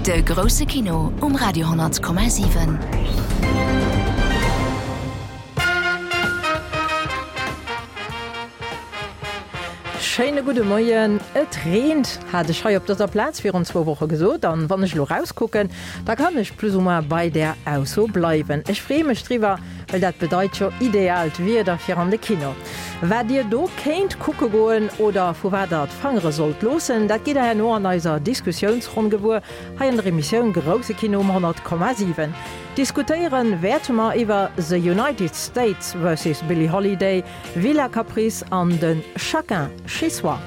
De grousse Kino um Radio 10,7. Schéine gudde Moien. Et reent, hat ech hei op dëser Plaz virun zwou Woche gesot. An wann ech elo rauskucken, da kann ech plus ou moins bei där Ausso bleiwen. Ech freeë mech driwwer, well dat bedeit jo ideaalt Wieder fir an de Kino. Wat Dir do kéint kucke goen oder vu wat Der d'Fangere sollt loossen, dat gitt Der herno an eiser Diskussiounsronn gewuer hei an der Emissioun Grousse Kino um 100,7. Diskutéiere wäerte mer iwwer The United States versus Billie Holiday, Villa Caprice an de Chacun chez soi.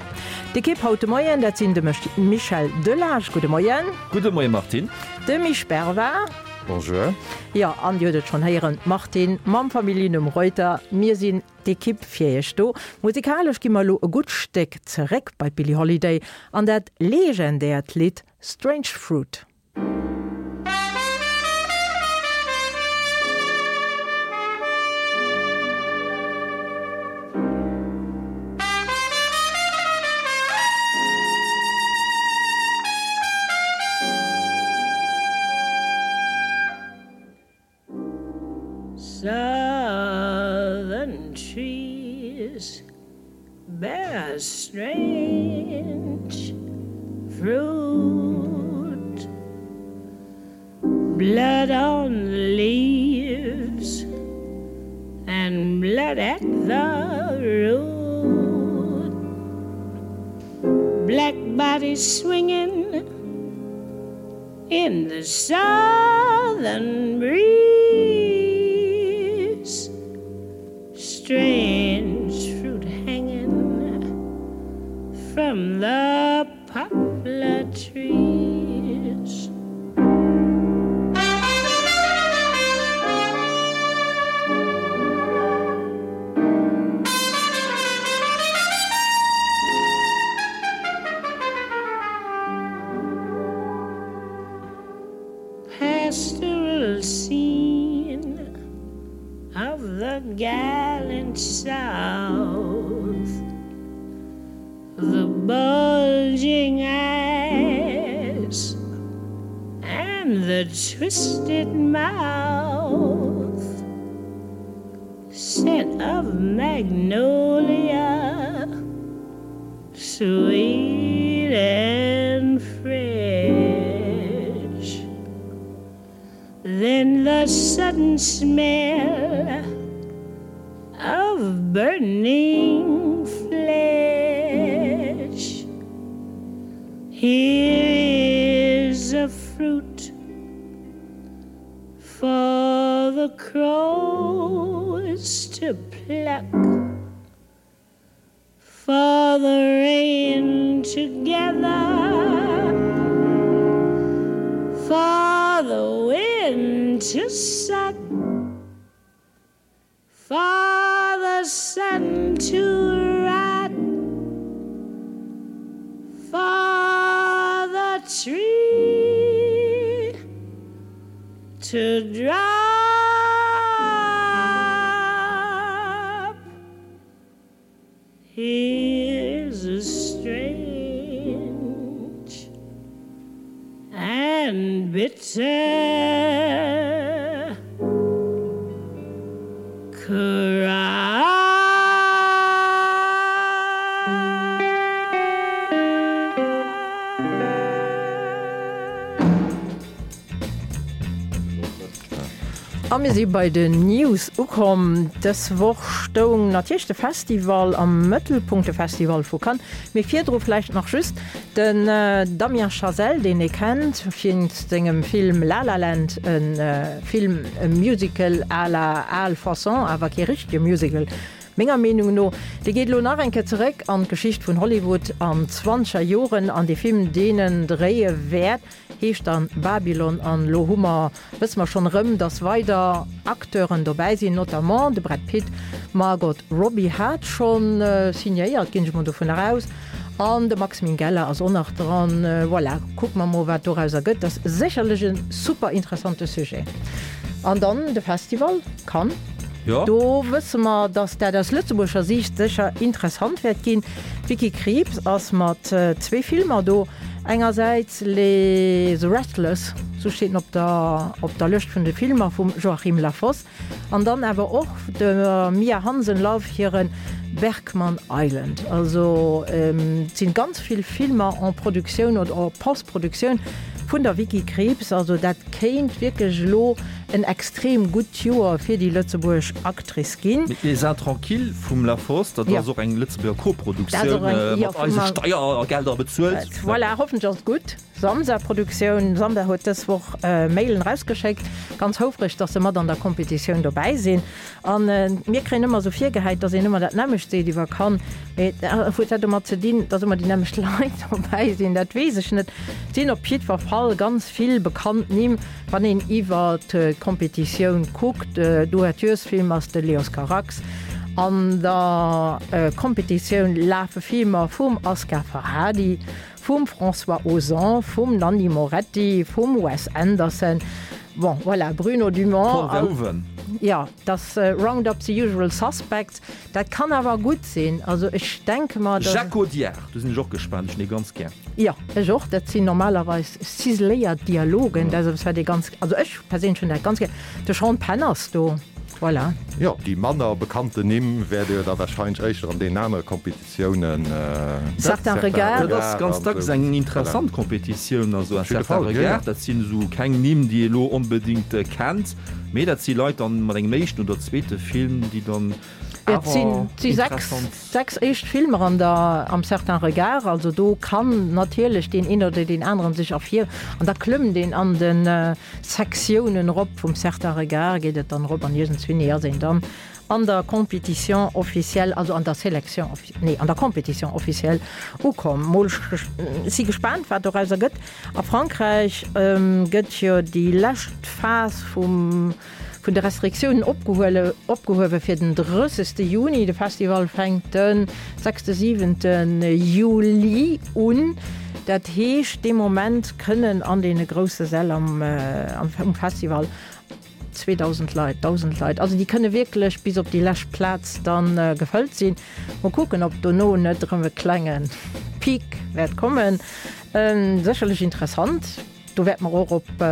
D'Ekipp haut de Moien, dat sinn de Michel Delage, gudde Moien. Gudde Moie Martine. De Misch Bervard. Bonjour. Jo, an Dir hutt et schonn héieren, d'Martine mam Familljennumm Reuter. Mir sinn d'Ekipp fir Iech do. Musikalesch gi mer elo e gutt Stéck zeréck bei d'Billie Holiday an dat legendäert Lidd Strange Fruit. Southern trees bear strange fruit Blood on the leaves and blood at the root Black bodies swinging in the southern breeze Strange fruit hanging from the poplar trees. Pastoral scene of the gallant south the bulging eyes and the twisted mouth scent of magnolia sweet and fresh then the sudden smell of burning flesh here is a fruit for the crows to pluck for the rain together for the wind to suck for the sun to rot for the tree to drop Here's a strange and bitter cry. A mir si bei den News ukomm. Dës Woch stoung natierlech de Festival am Mëttelpunkt, de Festival vu Cannes. Mee virdru vläicht nach just den Damien Chazelle, deen ee kennt wéinst sengem Film La La Land, e Film, e Musical à la al Façon, awer kee richtege Musical menger Meenung no. Dee geet elo nach eng Kéier zeréck an d'Geschicht vun Hollywood an d'zwanzeger Joren an dee Film, deen en dréie wäert, heescht dann Babylon an elo hu mer, wësse mer schonn erëm, dass weider Acteuren dobäi sinn, notamment de Brad Pitt, d'Margot Robbie hat schonn signéiert, ginn ech mol dovunner aus, an de Max Minghella ass och nach dran. Voilà, kucke mer mol wat dorauser gëtt. Dat ass sécherlech e super interessante Sujet. An dann de Festival Cannes, do wësse mer, dass dat aus lëtzebuergescher Siicht sécher interessant wäert ginn. D'Vicky Krieps ass mat zwee Filmer do. Engersäits Les Restless, sou steet en op der op der Lëscht vun de Filmer vum Joachim Lafosse, an dann awer och der Mia Hansen-Løve hire Bergman Island. Also et sinn ganz vill Filmer en Produktioun oder en Post-Produktioun vun der Vicky Krieps. Also dat kéint wierklech elo en extrem gutt Joer fir déi lëtzebuergesch Actrice ginn. Mee Les Intranquilles vum Lafosse, dat ass och eng Lëtzebuerger Koproduktioun, mat eise Steiergelder bezuelt. Voilà, hoffentlech ass et gutt. Samsa Produktioun, Samsa huet dës Woch Mailen erausgeschéckt, ganz houfreg, dass se mat an der Kompetitioun dobäi sinn. An mir kréien ëmmer esou virgehäit, dass een ëmmer dat nämmlecht seet iwwer Cannes. Mee huet dat domat ze dinn, dass ëmmer déi nämmlecht Leit dobäi sinn? Dat weess ech net. Et sinn op jiddwer Fall ganz vill bekannt Nimm. Wann een iwwer d'Kompetitioun kuckt, D'Ouverturesfilm ass de Leos Carax. An der Kompetitioun lafe Filmer vum Asghar Farhadi, vum François Ozon, vum Nanni Moretti, vum Wes Anderson, bon voilà, Bruno Dumont. Paul Verhoeven. Jo, dass Round Up the Usual Suspects. Dat kann awer gutt sinn. Also ech denke mer, dass. Jacques Audiard, do sinn ech och gespaant, ech hunn dee ganz gär. Jo, ech och. Dat sinn normalerweis ciseléiert Dialogen. Dat ass eppes, wat ee ganz, also ech perséinlech hunn dat ganz gär. De Sean Penn ass do, voilà. Jo, déi manner bekannten Nimm wäert Dir da warscheinlech éischter an deenen anere Kompetitiounen. Certain Regard. Dat ass ganz dacks eng interessant Kompetitioun. Also Un Certain Regard, dat sinn esou keng Nimm, déi ee elo onbedéngt kennt. Mee dat si Leit dann mat engem éischten oder zweete Film, déi dann awer interessant. Et si 6 éischt Filmer an der am Certain Regard, also do kann natierlech deen een oder deen aneren sech ervir an da klëmmt een an de Sektiounen erop. Vum Certain Regard geet et dann erop an iergendswéini ass een dann an der Compétition officielle, also an der Sélection, nee an der Compétition officielle ukomm. Mol si gespaant wat dorauser gëtt. A Frankräich gëtt jo déi lescht Phas vum vun de Restriktiounen opgehuele opgehuewe fir den 30. Juni. De Festival fänkt de sechste, siwente Juli un. Dat heescht, dee Moment kënnen an deene grousse Säll am um Festival 2.000 Leit, 1.000 Leit, also déi kënne wierklech bis op déi lescht Plaz da gefëllt sinn. Mol kucken, ob dono net erëm e klenge Peak wäert kommen. Sécherlech interessant. Do wäerte mer och op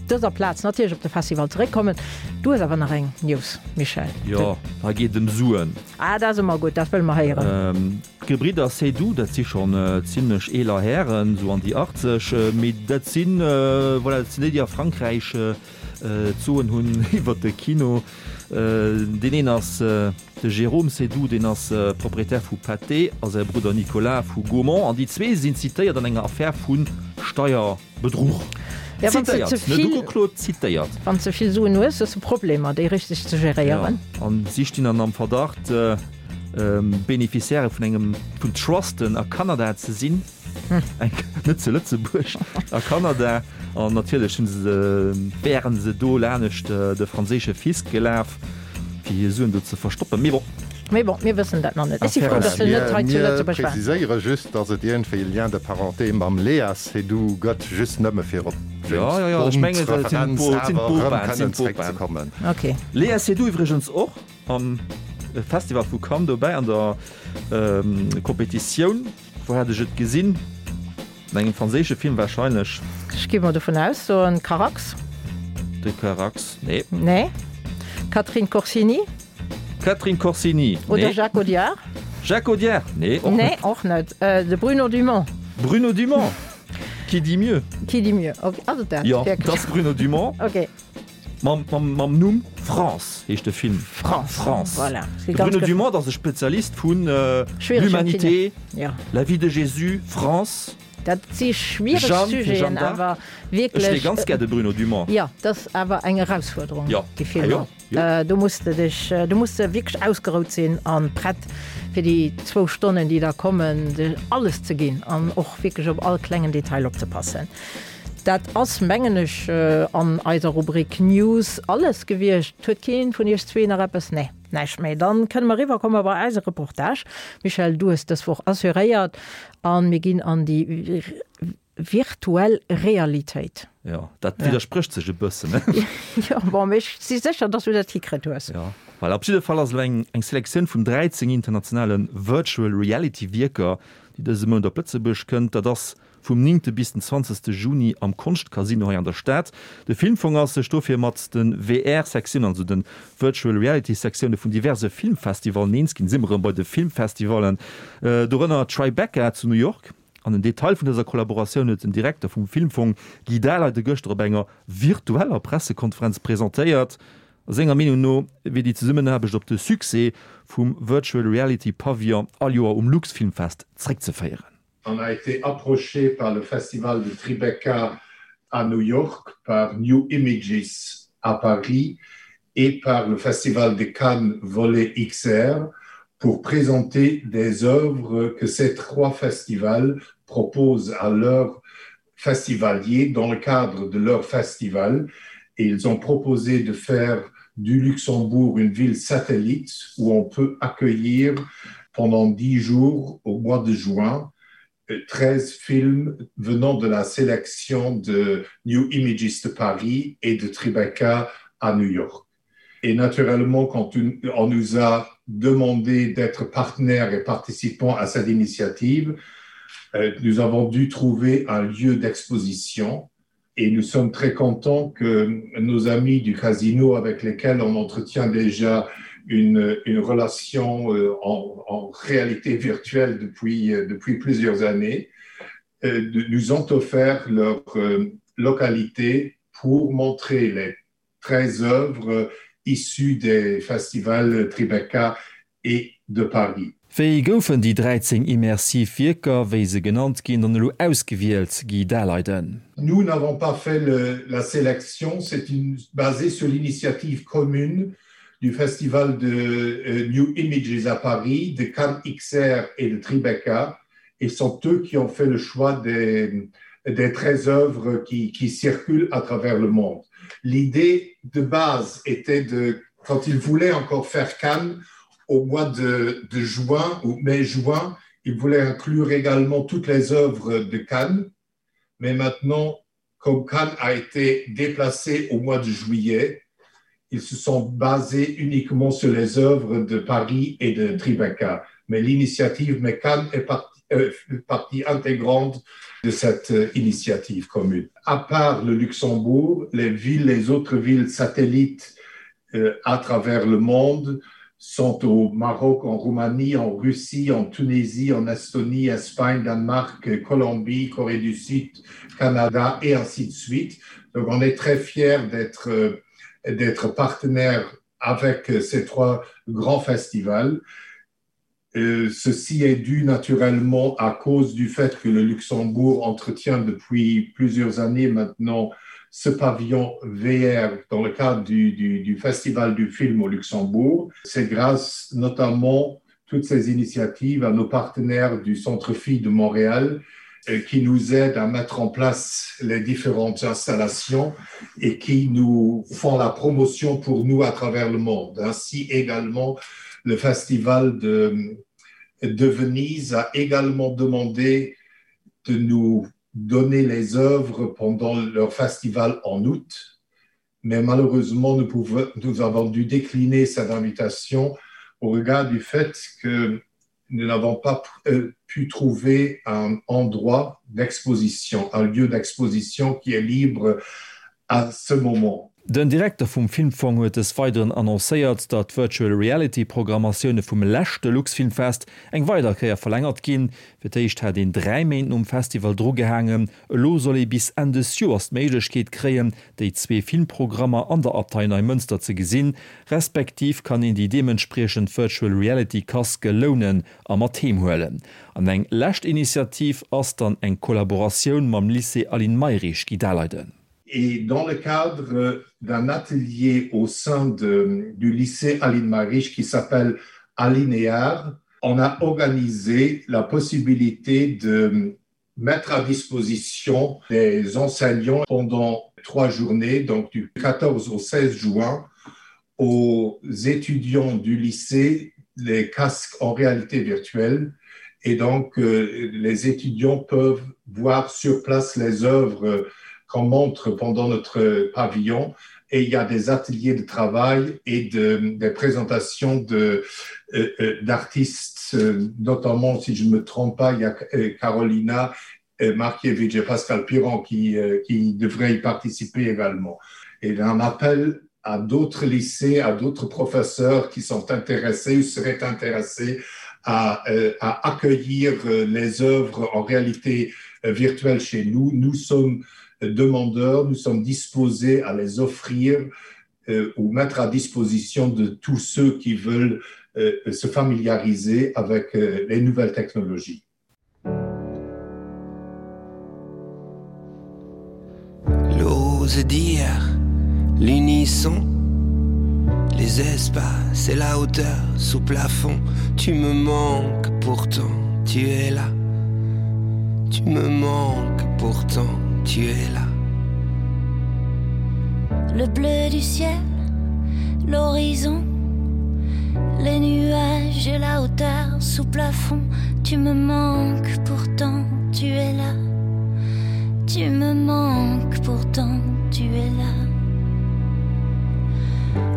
dëser Plaz natierlech op de Festival zeréckkommen. Du hues awer nach eng News, Michel. Jo, hei geet et ëm Suen. Ah, dat ass ëmmer gutt, dat wëlle mer héieren. D'Gebridder Seydoux, dat si schonn zimlech eeler Hären, esou an déi 80, mee dat sinn, voilà, dat sinn déi, déi a Frankräich d'Soen hunn iwwer de Kino. Deen een ass de Jérôme Seydoux, deen ass Proprietär vu Pathé, a säi Brudder Nicolas vu Gaumont. An déi zwee sinn zitéiert an enger Affär vu Steierbedruch. Zitéiert, net ugeklot, zitéiert. Wann s de vill Suen hues, hues de Problemer, déi richteg ze geréieren. Jo, an si stinn dann am Verdacht, Beneficiairë vun engem vun Trusten a Kanada ze sinn, net zu Lëtzebuerg, a Kanada. An natierlech hunn se, wären se do lanescht de franséische Fisc gelaf, fir hir Suen do ze verstoppen. Mee bon. Mee bon, mir wëssen dat nach net. Ech si frou, datt se net hei zu Lëtzebuerg waren. Mir preziséiere just, datt et iergendwéi e Lien de parenté mam Léa Seydoux gëtt, just nëmme fir op James Bond-Referenz awer erëm kënnen zeréckzekommen. Léa Seydoux iwwregens och. Am Festival vu Cannes dobäi an der Competitioun. Wou hat ech et gesinn? An engem franséische Film warscheinlech. Ech gi mol dovun aus, soen Carax. De Carax, nee. Nee. Catherine Corsini? Catherine Corsini, nee. Oder Jacques Audiard? Jacques Audiard, nee, och net. Nee, och net. De Bruno Dumont? Bruno Dumont, qui dit mieux? Qui dit mieux, ok. Ass et dat wierklech? Jo, et ass Bruno Dumont. Ok. Mam, mam, mam Numm France heescht de Film. France. France. Voilà. De Bruno Dumont ass e Spezialist vun äh, l'humanité, ja. la vie de Jésus, France. Dat si schwiereg Sujeten, awer wierklech. Ech ganz gär de Bruno Dumont. Ja, dat ass awer eng Erausfuerderung, ja. déi Filmer. Ja, ja. Äh, do muss de dech, do muss de wierklech ausgerout sinn an prett fir déi zwou Stonnen, déi da kommen, alles ze ginn an och wierklech op all klengen Detail opzepassen. Dat ass, mengen ech, an eiser Rubrik News alles gewiescht. Huet keen vun iech zwee nach eppes? Nee, näischt méi. Dann kënne mer eriwwerkomme bei eise Reportage. Michèle, du hues dës Woch assuréiert a mir ginn an déi virtuell Realitéit. Jo, dat widdersprécht sech e bëssen, ne? Jo, bon, mee ech si sécher, dass du dat hikritt hues. Jo, voilà. Op jidde Fall ass elo eng Selektioun vun 13 internationale Virtual Reality Wierker. déi dëse Mount op Lëtzebuerg kënnt. Dat ass vum néngte bis den zwanzegste Juni am Konschtcasino hei an der Stad. De Filmfong ass sech dofir mat de VR-Sektiounen, also de Virtual Reality-Sektioune vun diverse Filmfestivallen eens ginn. Si mer erëm bei de Filmfestivallen, dorënner Tribeca zu New York. An den Detail vun dëser Kollaboratioun huet den Direkter vum Filmfong Guy Dahleide gëschter op enger virtueller Pressekonferenz presentéiert. Senger Meenung no wier déi Zesummenaarbecht op de Succès vum Virtual Reality Pavillon all Joer um Luxfilmfest zréckzeféieren. On a été approché par le festival de Tribeca à New York, par New Images à Paris et par le festival de Cannes Volet XR pour présenter des œuvres que ces trois festivals proposent à leurs festivaliers dans le cadre de leur festival et ils ont proposé de faire du Luxembourg une ville satellite où on peut accueillir pendant dix jours au mois de juin 13 films venant de la sélection de New Images de Paris et de Tribeca à New York. Et naturellement, quand une, on nous a demandé d'être partenaire et participant à cette initiative, euh, nous avons dû trouver un lieu d'exposition et nous sommes très contents que nos amis du casino avec lesquels on entretient déjà une, une relation euh, en, en réalité virtuelle depuis, euh, depuis plusieurs années, euh, nous ont offert leur localité pour montrer les 13 œuvres issues des festivals Tribeca et de Paris. Wéi goufen déi 13 immersiv Wierker, wéi se genannt ginn, dann elo ausgewielt, Guy Daleiden? Nous n'avons pas fait le, la sélection, c'est une, basé sur l'initiative commune du festival de euh, New Images à Paris, de Cannes XR et de Tribeca et sont eux qui ont fait le choix des, des 13 œuvres qui, qui circulent à travers le monde. L'idée de base était de quand ils voulaient encore faire Cannes au mois de, de juin ou mai juin, ils voulaient inclure également toutes les œuvres de Cannes. Mais maintenant, comme Cannes a été déplacé au mois de juillet, ils se sont basés uniquement sur les œuvres de Paris et de Tribeca. Mais l'initiative mais Cannes est partie, euh, partie intégrante de cette euh, initiative commune. À part le Luxembourg, les villes, les autres villes satellites euh, à travers le monde sont au Maroc, en Roumanie, en Russie, en Tunisie, en Estonie, Espagne, Danemark, Colombie, Corée du Sud, Canada et ainsi de suite. Donc on est très fiers d'être euh, d'être partenaire avec ces trois grands festivals. Euh, ceci est dû naturellement à cause du fait que le Luxembourg entretient depuis plusieurs années maintenant ce pavillon VR dans le cadre du, du, du festival du film au Luxembourg. C'est grâce notamment toutes ces initiatives à nos partenaires du Centre Filles de Montréal euh, qui nous aident à mettre en place les différentes installations et qui nous font la promotion pour nous à travers le monde. Ainsi également, le festival de, de Venise a également demandé de nous donner les œuvres pendant leur festival en août. Mais malheureusement, nous, pouvons, nous avons dû décliner cette invitation au regard du fait que nous n'avons pas euh, pu trouver un endroit d'exposition, un lieu d'exposition qui est libre à ce moment. Den Direkter vum Filmfong huet des Weideren annoncéiert, datt d'Virtual Reality Programmatioune vum leschte Luxfilmfest eng weider Kéier verlängert ginn. Fir d'éischt hat een 3 Méint nom Festival drugehaangen, elo soll ee bis Enn des Joers d'Méiglechkeet kréien, déi zwee Filmprogrammer an der Abtei Neimënster ze gesinn, respektiv kann een déi deementspriechend Virtual Reality Casque lounen a mat heem huelen. An eng lescht Initiativ ass dann eng Kollaboratioun mam Lycée Aline Mayrisch, Guy Daleiden. Et dans le cadre d'un atelier au sein de, du lycée Aline Mariche qui s'appelle Alinéar, on a organisé la possibilité de mettre à disposition des enseignants pendant trois journées, donc du 14 au 16 juin, aux étudiants du lycée les casques en réalité virtuelle et donc euh, les étudiants peuvent voir sur place les œuvres qu'on montre pendant notre pavillon. Et il y a des ateliers de travail et de, des présentations de, euh, euh, d'artistes, euh, notamment, si je ne me trompe pas, il y a Carolina Markiewicz et Pascal Piron qui, qui devraient y participer également. Et un appel à d'autres lycées, à d'autres professeurs qui sont intéressés ou seraient intéressés à, à accueillir les œuvres en réalité virtuelle chez nous. Nous sommes demandeurs, nous sommes disposés à les offrir euh, ou mettre à disposition de tous ceux qui veulent euh, se familiariser avec euh, les nouvelles technologies. L'ose d'hier, l'unisson, les espaces et la hauteur sous plafond, tu me manques pourtant, tu es là. Tu me manques pourtant, tu es là. Le bleu du ciel, l'horizon, les nuages et la hauteur sous plafond, tu me manques pourtant, tu es là. Tu me manques pourtant, tu es là.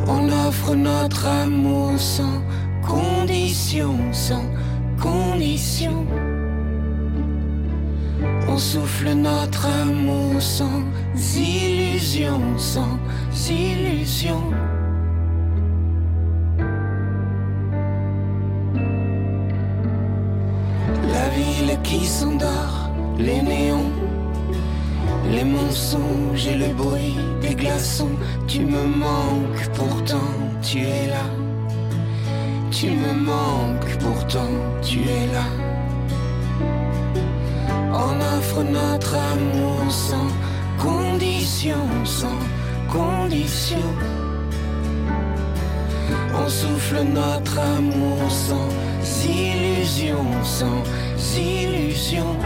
On offre notre amour sans condition, sans condition. On souffle notre amour sans illusion, sans illusion. La ville qui s'endort, les néons, les mensonges et le bruit des glaçons, tu me manques pourtant, tu es là. Tu me manques pourtant, tu es là. On offre notre amour sans condition, sans condition. On souffle notre amour sans illusion, sans illusion.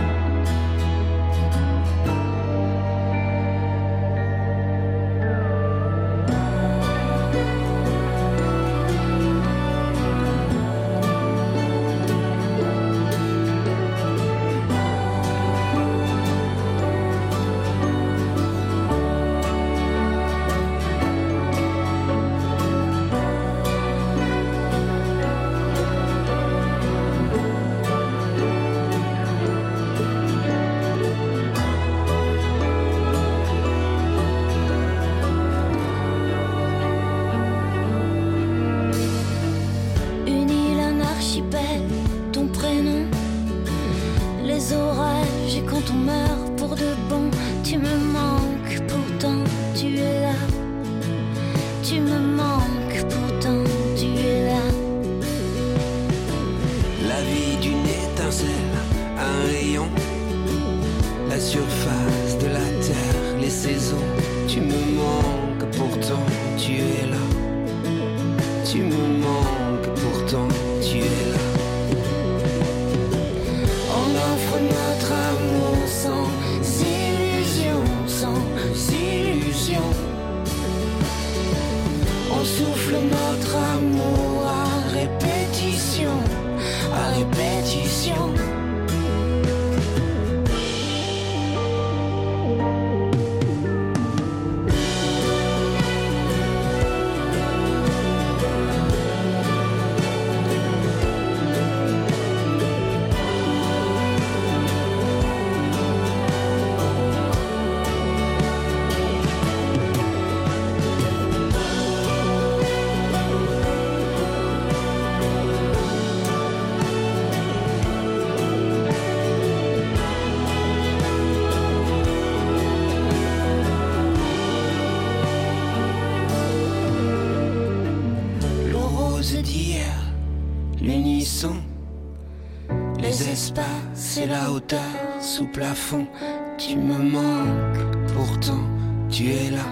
Une île, un archipel, ton prénom, les orages et quand on meurt pour de bon, tu me manques pourtant, tu es là. Tu me manques pourtant, tu es là. La vie d'une étincelle, un rayon, la surface de la terre, les saisons, tu me manques pourtant, tu es là. Tu me manques pourtant, tu es là. On offre notre amour sans illusion, sans illusion. On souffle notre amour à répétition, à répétition. L'rose d'hier, l'unisson, les espaces et la hauteur sous plafond, tu me manques, pourtant tu es là.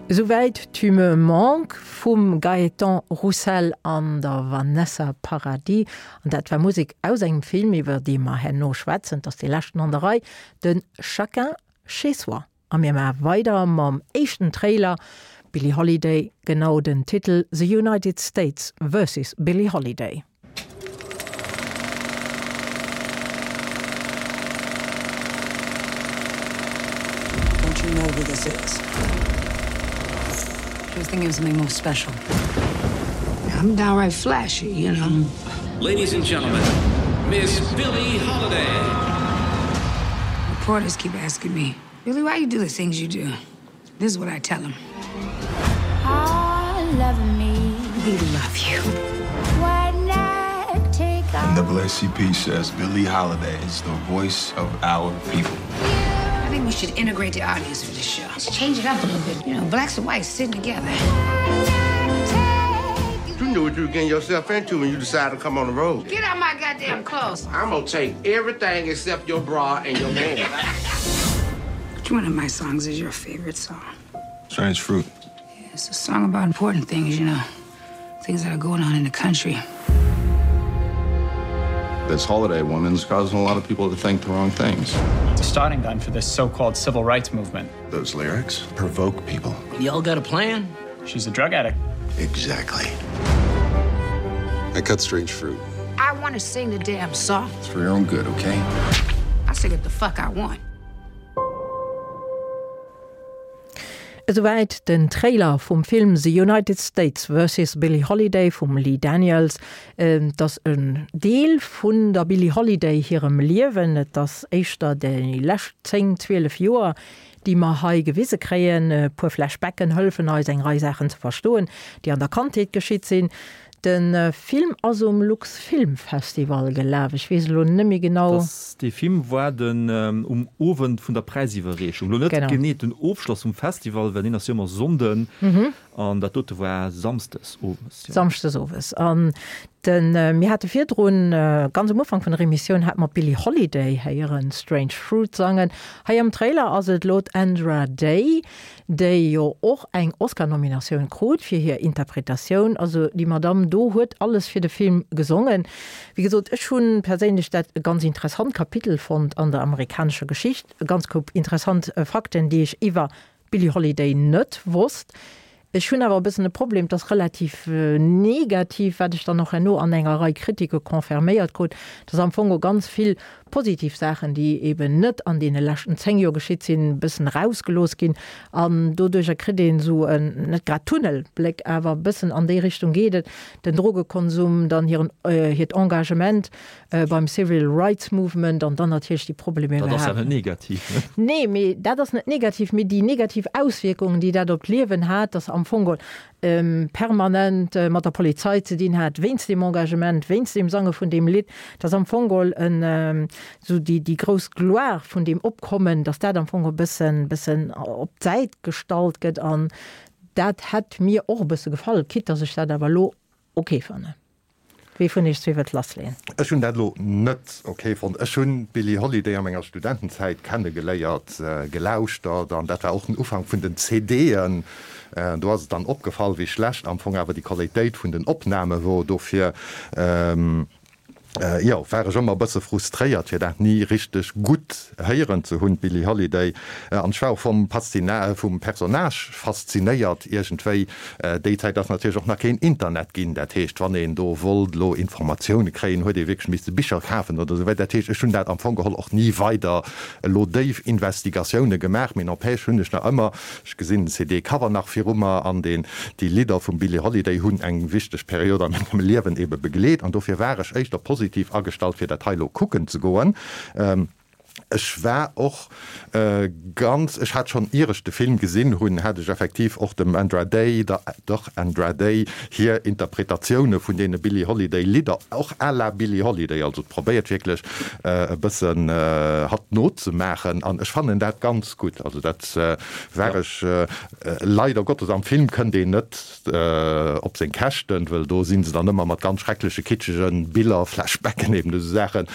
Esouwäit Tu me manques vum Gaëtan Roussel an der Vanessa Paradis. An dat war Musek aus engem Film, iwwer dee mer herno schwätzen. Et ass dee leschten an der Rei, de Chacun chez soi. A mir maache weider mam éischten Trailer, Billie Holiday, genau den Titel The United States versus Billie Holiday. You know who this is. She was thinking of something more special. I'm downright flashy, you know. Ladies and gentlemen, Miss Billie Holiday. Reporters keep asking me, Billy, why you do the things you do? This is what I tell them. I love me. We love you. Why not take NAACP says Billie Holiday is the voice of our people. I think we should integrate the audience for this show. Let's change it up a little bit. You know, blacks and whites sitting together. You knew what you were getting yourself into when you decided to come on the road. Get out my goddamn clothes. I'm gonna take everything except your bra and your man. Which one of my songs is your favorite song? Strange fruit. Yeah, it's a song about important things, you know. Things that are going on in the country. This holiday woman's causing a lot of people to think the wrong things. It's a starting gun for this so-called civil rights movement. Those lyrics provoke people. Y'all got a plan? She's a drug addict. Exactly. I cut strange fruit. I want to sing the damn song. It's for your own good, okay? I sing what the fuck I want. Esouwäit den Trailer vum Film The United States vs. Billie Holiday vum Lee Daniels. Et ass en Deel vun der Billie Holiday hirem Liewen. Et ass éischter déi lescht 10, 12 Joer, déi mer hei gewise kréien. E puer Flashbacken hëllefen eis, eng Rei Saachen ze verstoen, déi an der Kandheet geschitt sinn. De Film ass um Luxfilmfestival gelaf. Ech weess elo net méi genau. Dass dee Film war den um Owend vun der Präisiwwerreechung. Elo net genee den Ofschloss vum Festival, well deen ass jo ëmmer Sonnden an dat dote war Samsdes owes. Samschdes owes. An de mir hate virdrun, ganz um Ufank vun der Emissioun, hate mer d'Billie Holiday héieren, Strange Fruit sangen. Hei am Trailer ass et elo d'Andra Day, déi jo och eng Oscar-Nominatioun krut fir hir Interpretatioun. Also déi Madamm do huet alles fir de Film gesongen. Wéi gesot, ech hu perséinlech dat e ganz interessant Kapitel fonnt an der amerikanescher Geschicht, e ganz Koup interessant Fakten, déi ech iwwer d'Billie Holiday net wosst. Ech hunn awer e bëssen e Problem, et ass relativ negativ, wat ech dann och herno an enger Rei Kritike confirméiert krut, dass am Fong och ganz vill positiv Saachen, déi eben net an deene leschten 10 Joer geschitt sinn, e bëssen erausgelooss ginn. An doduercher kritt een esou en, net grad Tunnelbléck, awer e bëssen an déi Richtung geet et, den Drogekonsum, dann hiren, hiert Engagement beim Civil Rights Movement an dann natierlech déi Problemer Dat ass ja net negativ, ne? Nee, mee dat ass net negativ, mee déi negativ Auswierkungen, déi dat op d'Liewen hat, dass se am Fong permanent mat der Polizei ze dinn hat, wéinst deem Engagement, wéinst deem Sange vun deem Lidd, dass am Fong en esou déi, déi grouss Gloire vun deem Opkommen, dass dat am Fong e bëssen, bëssen op d'Säit gestallt gëtt. An dat hätt mir och e bësse gefall, quitte dass ech dat awer elo ok fannen. Wee vun iech zwee wëllt lassleeën? Ech hunn dat elo net ok fonnt. Ech hunn d'Billie Holiday a menger Studentenzäit kennegeléiert, gelauschtert an dat war och den Ufank vun den CDen. Do ass et dann opgefall, wéi schlecht am Fong awer déi Qualitéit vun den Opname wor. Dofir, jo, war ech ëmmer e bësse frustréiert, fir dat ni richteg gutt héieren ze hunn, d'Billie Holiday. An ech war och vum vum Personnage faszinéiert iergendwéi. Déi Zäit ass natierlech och nach keen Internet ginn. Dat heescht, wann een do wollt elo Informatioune kréien, huet ee wierklech misste Bicher kafen oder esou weider. Dat heescht, ech hunn dat am Fong geholl och ni weider elo déif Investigatioune gemaach. Mee n'empêche hunn ech nach ëmmer, ech gesinn den CD-Cover nach viru mer an deen, déi Lidder vum Billie Holiday hunn eng wichteg Period a mengem Liewen ebe begleet. An dofir war ech éischter positiv agestallt, fir dat hei elo kucken ze goen. Ech war och ganz, ech hat schonn ier ech de Film gesinn hunn, hat ech effektiv och dem Andra Day, der der Andra Day hir Interpretatioune vun deene Billie Holiday Lidder, och à la Billie Holiday, also probéiert wierklech e bëssen hatt nozemaachen an ech fannen dat ganz gutt. Also dat war ech leider Gottes, am Film kënnt een net op seng Käschten, wëll do si se dann ëmmer mat ganz schreckleche kitschege Biller, Flashbacken, eben esou Saachen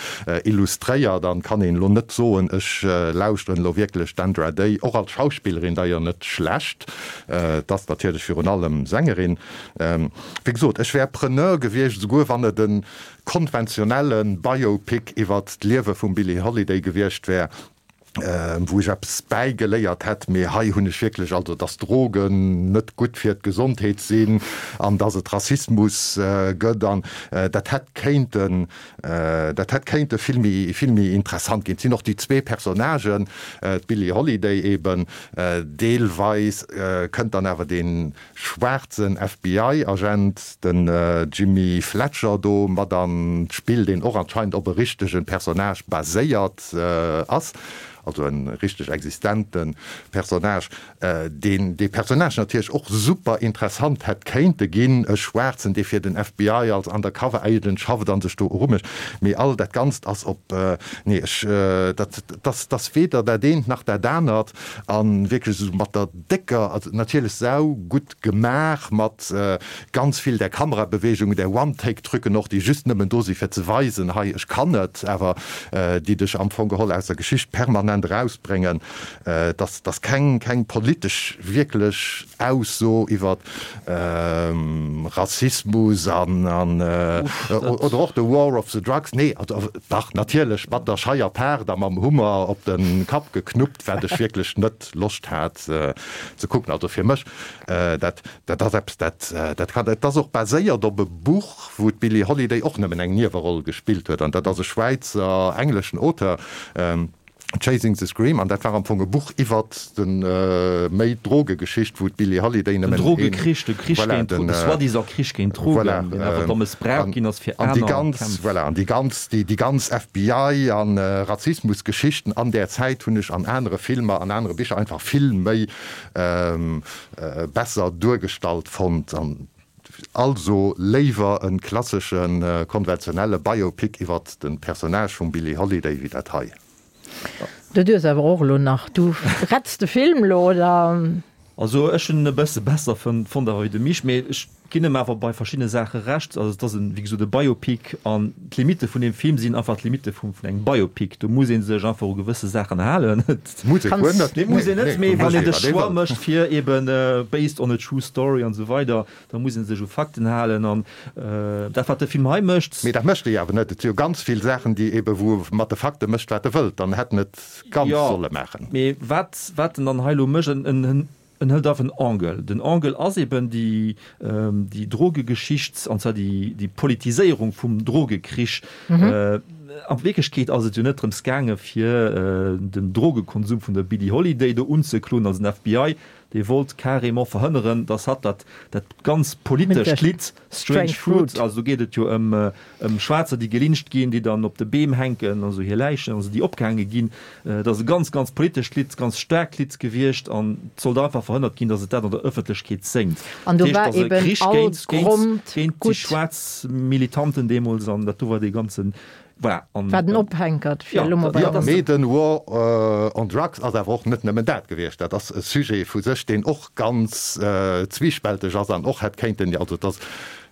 illustréiert an kann een elo net soen, ech lauschteren elo wierklech d'Andra Day, och als Schauspillerin d'ailleurs net schlecht, et ass natierlech virun allem Sängerin. Wéi gesot, ech wär Preneur gewiescht, esouguer wann et e konventionelle Biopic iwwert d'Liewe vum Billie Holiday gewiescht wär. Wou ech eppes bäigeléiert hätt, mee hei hunn ech wierklech, also dass Drogen net gutt fir d'Gesondheet sinn an dass et Rassismus gëtt an dat hätt kéinten, dat hätt kéinte vill méi, vill méi interessant ginn. Et sinn och déi zwee Personnagen, d'Billie Holiday eben, deelweis kënnt dann awer dee schwaarzen FBI-Agent, den Jimmy Fletcher do mat an d'Spill, deen och anscheinend op e richtege Personnage baséiert ass, also e richteg existente Personnage, deen dee Personnage natierlech och super interessant hätt kéinte ginn, e Schwaarzen, dee fir den FBI als Undercover Agent schafft a sech do erumécht. Mee all dat Ganzt ass op, nee, ech, dat ass weder dat eent nach dat anert a wierklech esou mat der décker, also natierlech sau gutt gemaach mat ganz vill där Kamerabewegungen, där One-Take-Trucken och, déi just nëmmen do si fir ze weisen, hei ech kann et, awer déi dech am Fong geholl aus der Geschicht permanent erausbréngen. Dass dass keng keng politesch wierklech Ausso iwwer Rassismus an an oder och de War of the Drugs, nee, also dach natierlech mat der scheier Paart a mam Hummer op de Kapp geknuppt, wat ech wierklech net Loscht hat ze kucken. Also fir mech, dat dat ass eppes, dat dat kann. Et ass och baséiert op e Buch, wou d'Billie Holiday och nëmmen eng Nieweroll gespillt huet, an dat ass e schwäizer-engleschen Auteur, Chasing the Scream, an dat war am Fong e Buch iwwert de méi d'Drogegeschicht, wou d'Billie Holiday nëmmen een. Den Drogekrich, de Krich Voilà, géint den. de soi-disant Krich géint d'Drogen, Voilà, deen awer da mëssbraucht an ginn ass fir an déi aner ganz, Kämpf. voilà, an déi ganz, déi déi ganz FBI an Rassismusgeschichten an där Zäit hunn ech an anere Filmer, an anere Bicher einfach vill méi besser duergestallt fonnt. An also léiwer e klasseschen, konventionelle Biopic iwwert de Personnage vum Billie Holiday wéi dat hei. Du duers awer och elo nach, du retts de Film elo, oder? Also ech hunn en e bësse besser fonnt awer wéi de Misch, mee ech ginn em awer bei verschiddene Saache Recht. Also et ass en, wéi gesot, e Biopic an d'Limitte vun deem Film sinn einfach d'Limitte vum vun engem Biopic. Do muss ee sech einfach u gewësse Saachen halen. Et muss ee guer net. Nee, muss een net, mee wann een de Choix wëll. mécht fir eben based on a true story an esou weider, da muss ee sech u Fakten halen an dat wat de Film hei mécht. Mee dat mécht e jo awer net. Et si jo ganz vill Saachen, déi ebe wou e mat de Fakte mécht wat e wëllt. Dann hätt en et ganz solle maachen. Mee wat wat en dann hei elo mécht, en en en hëlt einfach en Angle. Den Angle ass eben déi déi Drogegeschicht, an zwar déi déi Politiséierung vum Drogekrich. A Wierklechkeet ass et jo net drëms gaange fir den Drogekonsum vun der Billie Holiday do unzekloen, also den FBI dee wollt carrément verhënneren, dass hatt dat dat ganz politescht Lidd Strange Fruit, also do geet et jo ëm ëm Schwaarzer, déi gelyncht ginn, déi dann op de Beem hänken, also hir Läichen, also déi opgehaange ginn, dat ass e ganz, ganz politescht Lidd, ganz staarkt Lidd gewiescht an et sollt einfach verhënnert ginn, dass et dat an der Ëffentlechkeet séngt. An do Dat heescht, war et ass e eben Krich all géint, géint, Grond géint déi gutt. schwaarz Militanten deemools an dat do war dee ganzen, voilà, an. War den Ophänkert fir Jo, elo mol bei dat der. ass. Mee den War on Drugs ass awer och net nëmmen dat gewiescht. Dat ass e Sujet vu sech, deen och ganz zwiespälteg ass an och hätt kéinten, also et ass,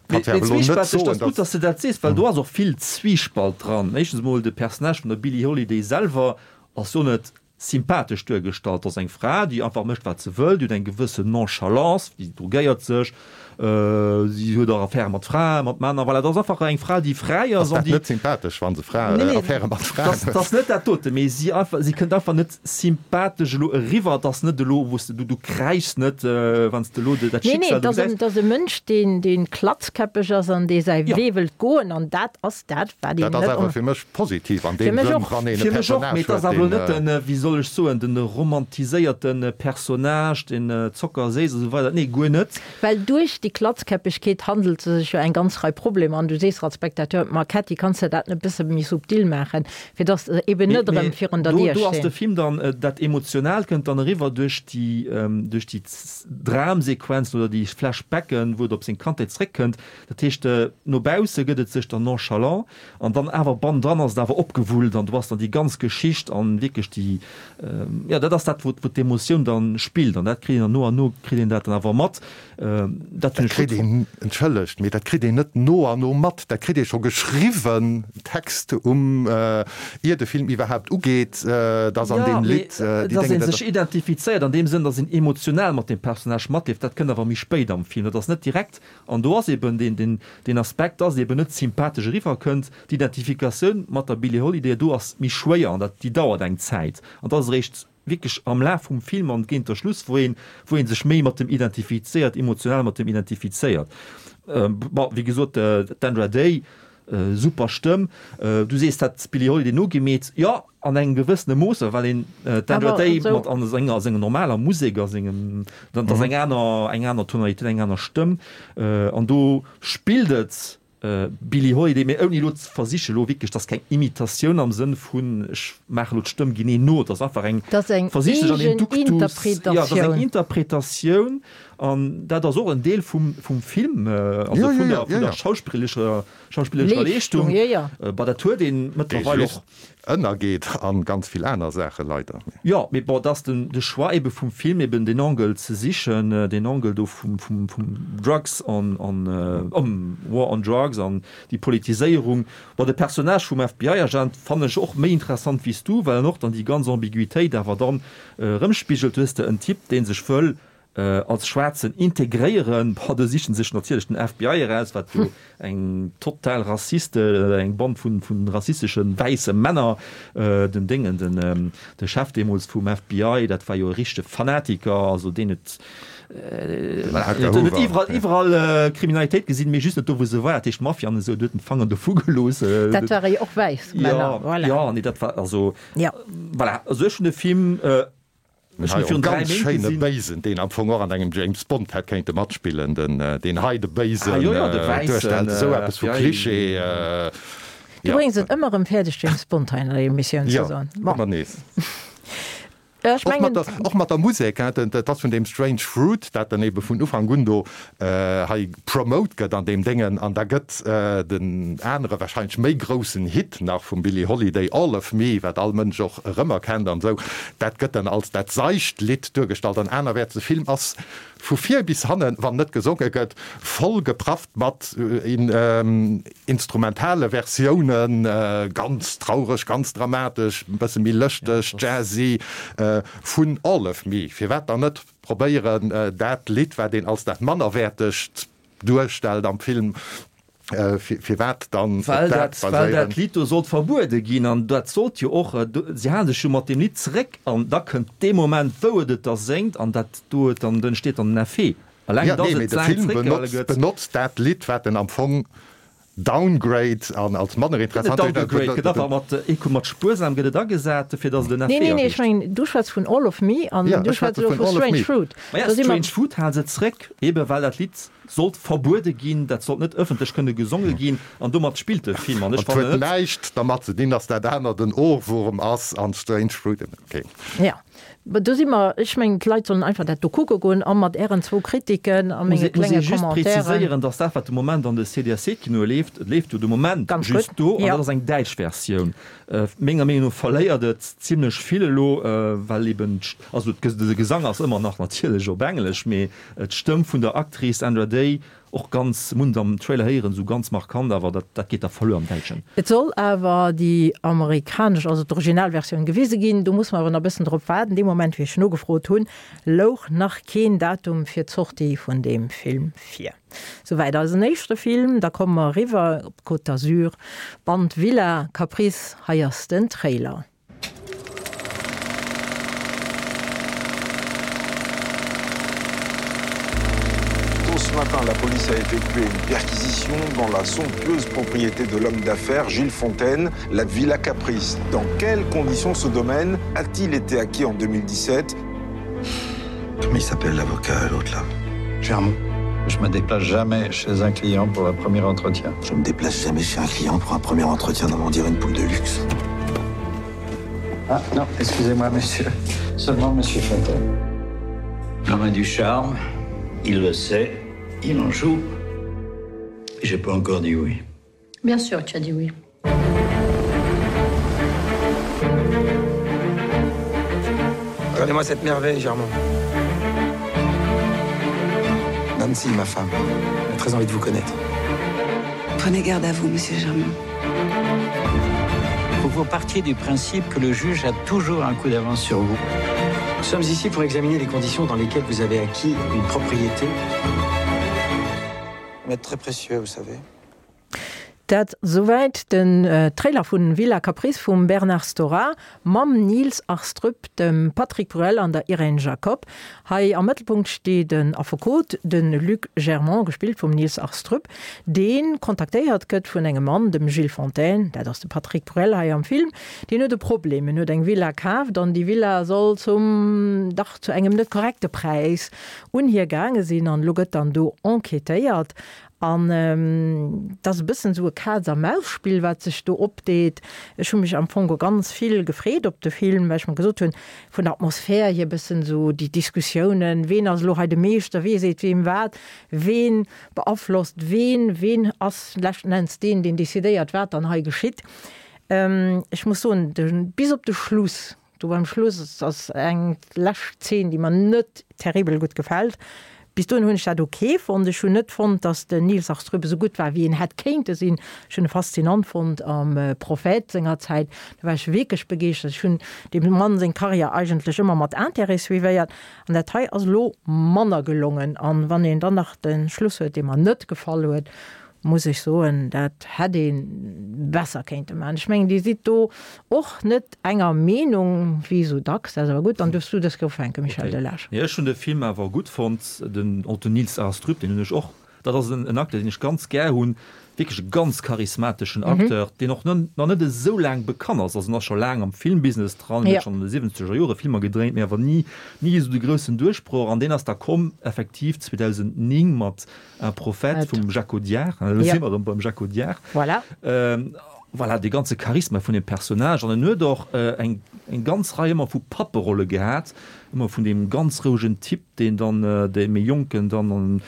Mee kanns jo awer elo net zwiespälteg, soen, dat ass gutt, datt. datt s de dat sees, well do ass och vill Zwiespalt dran. Éischtens emol de Personnage vun der Billie Holiday selwer ass jo net sympathesch duergestallt. Dat ass eng Fra, déi einfach mécht, wat se wëll, déi huet eng gewëssen Nonchalance, déi drogéiert sech, si huet och Affäre mat Fraen, mat Männer, voilà. Dat ass einfach eng Fra, déi fräi Ass ass an dat déi. net sympathesch, wa se Fra, Nee, nee, Affäre mat Fraen dat huet? ass net dat dote, mee si einfach, si kënnt einfach net sympathesch elo eriwwer. Et ass net elo, wou s de, du, du kräischs net, wann s de elo dat Nee, nee, Schicksal et do ass en, gesäis. et ass e Mënsch, deen, deen klatzkäppeg ass an dee säi Jo. Wee wëllt goen an dat ass dat, wat Dat een ass net awer on. fir mech positiv an Fir deem mech Sënn, och. wann een e Fir mech och, Personnage mee et ass huet, awer elo deen. net den, wéi soll ech soen, den romantiséierte Personnage, deen zockerséiss a sou weider. Nee, guer net. Well duerch déi Klatzkäppegkeet handelt se sech jo eng ganz Rei Problemer an du sees als Spectateur, Ma Kätti, kanns de dat net e bësse méi subtil maachen, fir dass se eben Mee, net erëm mee virun der do, Dier do ass de stinn. Film dann, dat Emotionaalt kënnt dann eriwwer duerch déi, duerch déi Dramsequenzen oder déi Flashbacken, wou et op seng Kandheet zréckkënnt. Dat heescht, no bausse gëtt et sech dann nonchalant an dann awer bannendran ass et awer opgewullt an du ass dann déi ganz Geschicht an wierklech déi, jo dat ass dat, wou wou d'Emotioun dann spillt an dat kritt een dann no an no kritt een dat dann awer mat. Dat hunn Dat ech kritt gutt een, entschëllegt, mee dat kritt een net no an no mat, dat kritt ee scho geschriwwen, Text um, ier de Film iwwerhaapt ugeet, dass an Jo, deem mee Lidd déi dass Dénge, ee dat sech identifizéiert an deem Sënn, dass een emotional mat deem Personnage matleeft, dat kënnt awer méi spéit am Film, dat ass net direkt. An do ass eben deen, deen, deen Aspekt, dass et eben net sympathesch eriwwerkënnt. D'Identifikatioun mat der Billie Holiday do ass méi schwéier an dat, déi dauert eng Zäit. An dat ass eréischt wierklech am Laf vum Film an géint der Schluss, wou een, wou ee sech méi mat dem identifizéiert, emotional mat dem identifizéiert. Bon, wéi gesot, d'Andra Day, super Stëmm. Du sees, dat d'Billie Holiday nogemeet. Jo, an engem gewëssene Mooss, well een d'Andra Day mat an senger, senger normaler Musek a sengem, dat ass eng aner, eng aner Tonalitéit, eng aner Stëmm. An do spillt et Billie Holiday, mee ouni elo ze versichen, elo wierklech, dat ass keng Imitatioun am Sënn vun ech maache elo d'Stëmm genee no, et ass einfach eng, Dat ass eng versicht sech an een eegen Duktus, jo, dat ass eng Interpretatioun. Interpretatioun an dat ass och en Deel vum, vum Film, also Jo, jo, vun jo, der, jo, vun der jo. schauspillerescher, schauspillerescher Leeschtung, Leeschtung. jo, jo. Bah, dat huet een Dee mëttlerweil just och. ënnergeet an ganz vill aner Saache leider. Jo, mee bon, et ass den de Choix ebe vum Film eben deen Angle ze sichen, deen Angle do vum vum vum Drugs on on War on Drugs an déi Politiséierung. Bon, de Personnage vum FBI-Agent fannen ech och méi interessant wéi s du, well en och dann déi ganz Ambiguitéit awer dann erëmspigelt. Du hues de en Typ, dee sech wëll als Schwaarzen integréieren, boah, do sichen sech natierlech den FBI eraus, wat jo eng total Rassiste, eng Band vun vun rassisteschen wäisse Männer, den Déngen, den de Chef deemools vum FBI, dat war jo e richtege Fanatiker, also deen huet voilà, deen huet iwwerall iwwerall Kriminalitéit gesinn, mee just net do wou se war, dat heescht Mafia an esou, do huet en d'Fanger dovu gelooss. Dat ware jo och wäiss Männer, voilà. Jo, nee, dat war also, voilà, also ech hunn de Film Ech hunn virun 3 Méint gesinn. Ganz schéine Béisen, deen am Fong och an engem James Bond hätt kéinte matspillen, den deen hei de Béisen duerstellt, esou eppes vu Klischee. Du bréngs et ëmmer erëm fäerdeg James Bond hei an der Emissioun ze soen. Jo, ëmmer nees. Ech mengen. Och mat der Musek, dat ass vun deem Strange Fruit, dat dann ebe vun Ufank un do hei promote gëtt an deem Déngen, an da gëtt den anere wahrscheinlech méi groussen Hit nach vum Billie Holiday, All of Me, wat all Mënsch och erëmerkennt an esou, dat gëtt dann als dat seicht Lidd duergestallt an anerwäerts. De Film ass vu vir bis hannen, wann net gesonge gëtt, voll geprafft mat instrumentale Versiounen, ganz traureg, ganz dramatesch, e bësse méi lëschteg, jazzy, vun All of Me. Firwat dann net Probéieren dat Lidd, wat een als dat mannerwäertegt duerstellt am Film, firwat dann op Well dat dat, well baséieren? dat Lidd do sollt verbuede ginn an dat sollt jo och, si hale sech jo mat deem Lidd zeréck an da kënnt dee Moment, wou et et da séngt an dat do huet dann, entsteet dann den Effet. Eleng Jo, dass nee, mee et de laang Film zeréckgehale benotzt, gëtt. benotzt dat Lidd, wat en am Fong Downgrade an als manner Gëtt net interessant. downgegrade, gëtt einfach mat eco, mat spuersam gëtt et agesat, fir datt et en Nee, Effet nee, nee, ech erreecht. mengen, du schwätz vun All of Me an Ja, du ech schwätz schwätze elo vun vu All of Strange Me. Fruit. Maja, Da si mer. Strange Fruit hale se zréck, ebe well dat Lidd sollt verbuede ginn, dat sollt net ëffentlech kënne gesonge ginn an domat spillt de Film an ech Et huet fannen net. näischt dermat ze dinn, datt dat anert en Ohrwurm ass an Strange Fruit, okay. Ja. Do si mer, ech mengen, d'Leit sollen einfach dat do kucke goen a mat Ären zwou Kritiken a Muss menge ee muss klenge ee just Commentairen. preziséieren, dass dat, wat de Moment an de CDSC-Kinoe leeft, et leeft jo de Moment Ganz just gutt, do, an jo. dat ass eng däitsch Versioun. Menger Meenung no verléiert et zimlech vill elo, well eben, also de Gesang ass ëmmer nach natierlech op Englesch, mee d'Stëmm vun der Actrice Andra Day Och ganz, mun am Trailer héieren, sou ganz markant, awer dat dat geet da verluer am Däitschen. Et soll awer déi amerikanesch, also d'Originalversioun gewise ginn. Do muss mer awer nach e bëssen drop waarden. Dee Moment, wéi ech nogefrot hunn, louch nach keen Datum fir d'Sortie vun deem Film vir. Souwäit eisen éischte Film. Da komme mer eriwwer op d'Côte d'Azur, Band Villa Caprice. Hei ass den Trailer. Tôt ce matin, la police a effectué une perquisition dans la somptueuse propriété de l'homme d'affaires Gilles Fontaine, la Villa Caprice. Dans quelles conditions ce domaine a-t-il été acquis en 2017 Comment il s'appelle l'avocat l'autre là Germont. Je me déplace jamais chez un client pour un premier entretien. Je me déplace jamais chez un client pour un premier entretien dans dire une poule de luxe. Ah non, excusez-moi monsieur, seulement monsieur Fontaine. L'homme a du charme, il le sait, il en joue. J'ai pas encore dit oui. Bien sûr, tu as dit oui. Regardez-moi cette merveille, Germain. Nancy, ma femme, a très envie de vous connaître. Prenez garde à vous, monsieur Germain. Faut vous partiez du principe que le juge a toujours un coup d'avance sur vous. Nous sommes ici pour examiner les conditions dans lesquelles vous avez acquis une propriété. M'être très précieux, vous savez. Dat souwäit den Trailer vu Villa Caprice vum Bernard Stora mam Niels Arestrup, dem Patrick Bruel an der Irène Jacob. Hei am Mëttelpunkt steet en Affekot, de Luc Germont, gespillt vum Niels Arestrup, dee kontaktéiert gëtt vun engem Mann, dem Gilles Fontaine, dat ass de Patrick Bruel hei am Film. Deen huet e Problem, en huet eng Villa kaaft an déi Villa soll zum, dach zu engem net korrekte Präis un hie gaange sinn an elo gëtt dann do enquêtéiert. An et ass e bëssen esou e Kaz-a-Maus-Spill, wat sech do opdeet. Ech hu mech am Fong ganz vill gefreet op de Film, well ech mer gesot hunn, vun der Atmosphär hier e bëssen esou déi Diskussiounen, ween ass elo hei de Meeschter, wee seet weem wat, ween beaflosst ween, ween ass leschten Enns deen, deen decidéiert, wat dann hei geschitt. Ech muss soen, de bis op de Schluss, Do beim Schluss ass eng lescht Zeen, déi mer net terribel gutt gefält. Bis dohin hunn ech dat ok fonnt. Ech hunn net fonnt, datt den Nils Astrup esou gutt war, wéi en hätt kéinte sinn. Ech hunn e faszinant fonnt am Prophet senger Zäit. Do war ech wierklech begeeschtert. Ech hunn deem Mann seng Karriär eigentlech ëmmer mat Intérêt suivéiert. An dat hei ass elo manner gelongen. An wann een dann nach de Schluss huet, dee mer net gefall huet, muss ech soen, dat hätt ee besser kéinte maachen. Ech mengen, Dir sidd do och net enger Meenung, wéi esou dacks. Dat ass awer gutt. Dann duerfs du dës Kéier ufänken, Michel Delage. Nee, ech hunn de Film awer gutt fonnt. Den och den Niels Arestrup, deen hunn ech och, dat ass en Acteur, deen ech ganz gär hunn, wierklech e ganz charismateschen Acteur, deen och nach net esou laang bekannt ass. Also en ass scho laang am Filmbusiness dran, huet schonn an de siwwenzeger Jore Filmer gedréint, mee awer ni, ni esou de groussen Duerchbroch. An deen ass da komm effektiv 2009 mat Un prophète vum Jacques Audiard, elo si mer erëm beim Jacques Audiard. Voilà. Voilà, dee ganze Charisma vun dem Personnage. An en huet och eng ganz Rei ëmmer vu Papperolle gehat, ëmmer vun deem ganz rouegen Typ, deen dann de méi Jonken dann an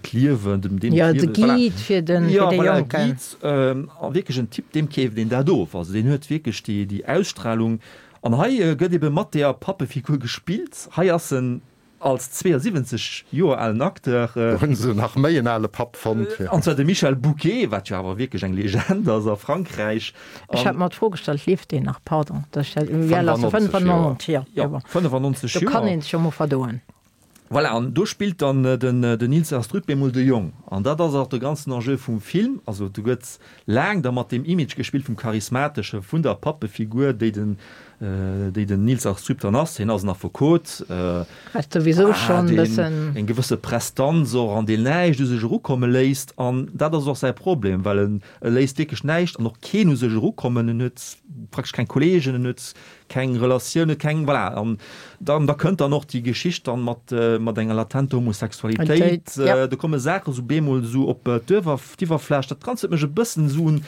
d'Liewen, dem deem d'Liewen. Jo, de Guide fir de Jonken. Jo, voilà, e Guide. A wierklech en Typ, deem keeft een dat of. Also deen huet wierklech déi Ausstralung. An hei gëtt ebe mat deeër Pappefigur gespillt. Hei ass en Als 72 Joer alen Acteur. Do hunn se nach méi en ale Papp fonnt. An zwar de Michel Bouquet, wat jo awer wierklech eng Legend ass a Frankräich. Ech hat mer d'Fro gestallt, lieft deen nach? Pardon, dass ech dat, wéi al ass e? 95 Joer. Jo, 95 Joer. Do kann een sech jo mol verdoen. Voilà, an do spillt dann den Nils Astrup bemol de Jong. An dat ass och de ganzen Enjeu vum Film. Also do gëtt laang da mat deem Image gespillt vum Charismateschen, vun der Pappefigur, déi den déi den Nils Astrup dann ass. Hien ass en Affekot, Wat souwisou schonn e bëssen. Deen eng gewësse Prestanz och an deen näischt u sech erukomme léisst. An dat ass och säi Problem, well en e léisst wierklech näischt an och keen u sech erukommen. En huet praktesch keng Kolleegen, en huet keng Relatioune, keng, voilà. An dann, da kënnt dann och déi Geschicht dann mat, mat enger latenter Homosexualitéit. Do komme Saache sou bemol esou op d'Iwwerfläch. Dat Ganzt huet mech e bëssen esou un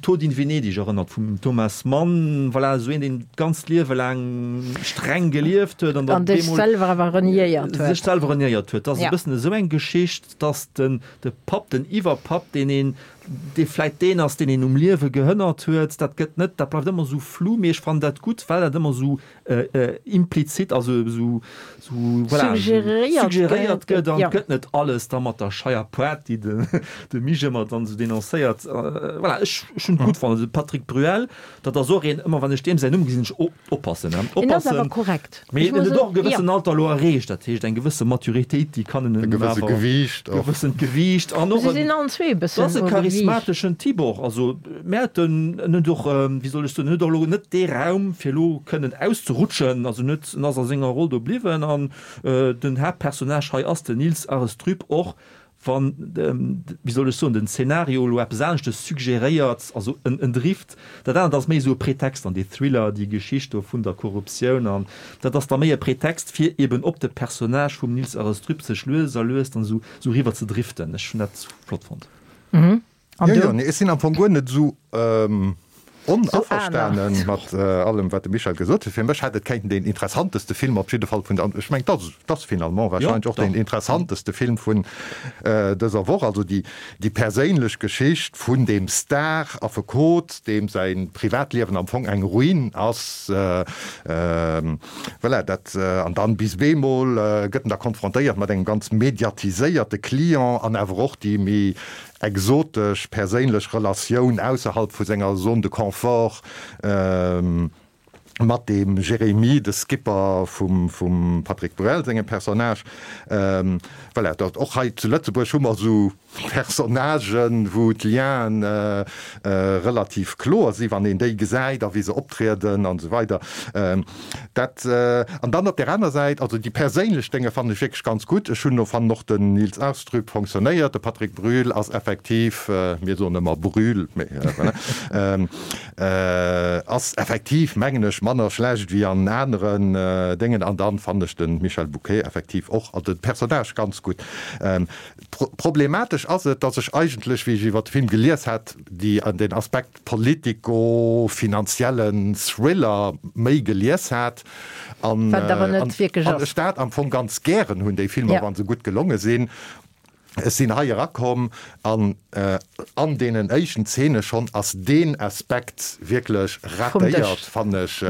Tod in Venedig erënnert vum Thomas Mann. Voilà, esou een, deen d'ganzt Liewe laang streng gelieft huet an dann bemol. An sech selwer awer reniéiert huet. Sech selwer reniéiert huet. Dat ass e bëssen esou eng Geschicht, dass den, de Papp, den Iwwerpapp, deen een, dee vläit deen ass, deen een um Liewe gehënnert huet, dat gëtt net, dat bleift ëmmer esou flou, mee ech fannen dat gutt, well dat ëmmer esou implizit, also esou, esou, voilà, suggeréiert gëtt an et gëtt net alles da mat der Scheier Poart, déi de, de Mich ëmmer dann esou denoncéiert. Voilà, ech, ech hunn et gutt fonnt. Also de Patrick Bruel, dat ass och een, ëmmer wann ech deem säin Numm gesinn, ech, oh, oppassen, oppassen. En ass awer korrekt. Mee en huet och e gewëssen Alter elo erreecht, dat heescht eng gewësse Maturitéit, déi kann en E gewësse Gewiicht och. Gewëssent Gewiicht an och Se sinn allen zwee e bëssen ass e charismateschen Typ och. Also mä huet en en huet och, wéi soll ech soen, en huet och elo net dee Raum fir elo kënnen auszerutschen. Also en huet, en ass a senger Roll do bliwwen an den Haaptpersonnage hei ass den Nils Arestrup och Wann, wéi soll ech soen, den Zeenario elo eppes aneschtes suggeréiert, also en Drift, dat anert ass méi esou e Pretext an dee Thriller, déi Geschicht do vun der Korruptioun an dat ass da méi e Pretext, fir eben op de Personnage vum Nils Arestrup sech lues a lues dann esou eriwwer ze driften. Ech hunn dat flott fonnt. An jo, jo, nee, ech sinn am Fong guer net esou onaverstane mat allem, wat de Michel gesot huet. Fir mech hätt et kéinten deen interessanteste Film op jidde Fall vun der, ech mengen, dat ass finalement wahrscheinlech och deen interessanteste Film vun dëser Woch, also déi, déi perséinlech Geschicht vun deem Star-Affekot, deem säi Privatliewen am Fong eng Ruin ass. Voilà, dat, an dann bis bemol gëtt en da konfrontéiert mat engem ganz mediatiséierte Client an awer och déi méi exotesch perséinlech Relatioun ausserhalb vu senger Zone de confort mat deem Jérémie, de Skipper vum Patrick Bruel sengem Personnage. Voilà, dat och hei zu Lëtzebuerg hu mer esou. Personnagen, wou d'Lienen relativ kloer sinn, wann een déi gesäit a wéi se optrieden an esou weider. Dat, an dann op där aner Säit, also déi perséinlech Dénge fannen ech wierklech ganz gutt. Ech hunn, fannen och den Nils Arestrup fonctionnéiert, de Patrick Bruel ass effektiv, mir soen ëmmer Brühl, mee voilà, ass effektiv, mengen ech, manner schlecht wéi an aneren Déngen. An dann fannen ech de Michel Bouquet effektiv och, also de Personnage ganz gutt. Problematesch ass et, datt ech eigentlech, wéi ech iwwer de Film gelies hat, déi den Aspekt politico-finanziellen Thriller méi gelies hat an Wat et awer net wierklech ass. ech dat am Fong ganz gären hunn, déi Filmer, wa se gutt gelonge sinn. Ech sinn hei erakomm an an deenen éischten Zeene schonn ass deen Aspekt wierklech ratéiert, fannen ech.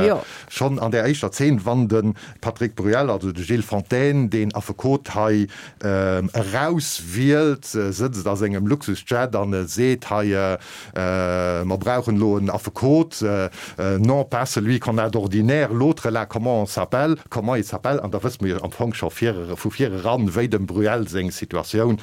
Schonn an där éischter Zeen, wann de Patrick Bruel, also de Gilles Fontaine, deen Affekot hei erauswielt, sëtzt a sengem Luxusjet an e seet, hei, mer brauchen elo en Affekot, non pas celui qu'on a d'ordinaire, l'autre là, comment on s'appelle, comment il s'appelle, an da wësse mer jo am Fong scho vu vir eran, wéi dem Bruel seng Situatioun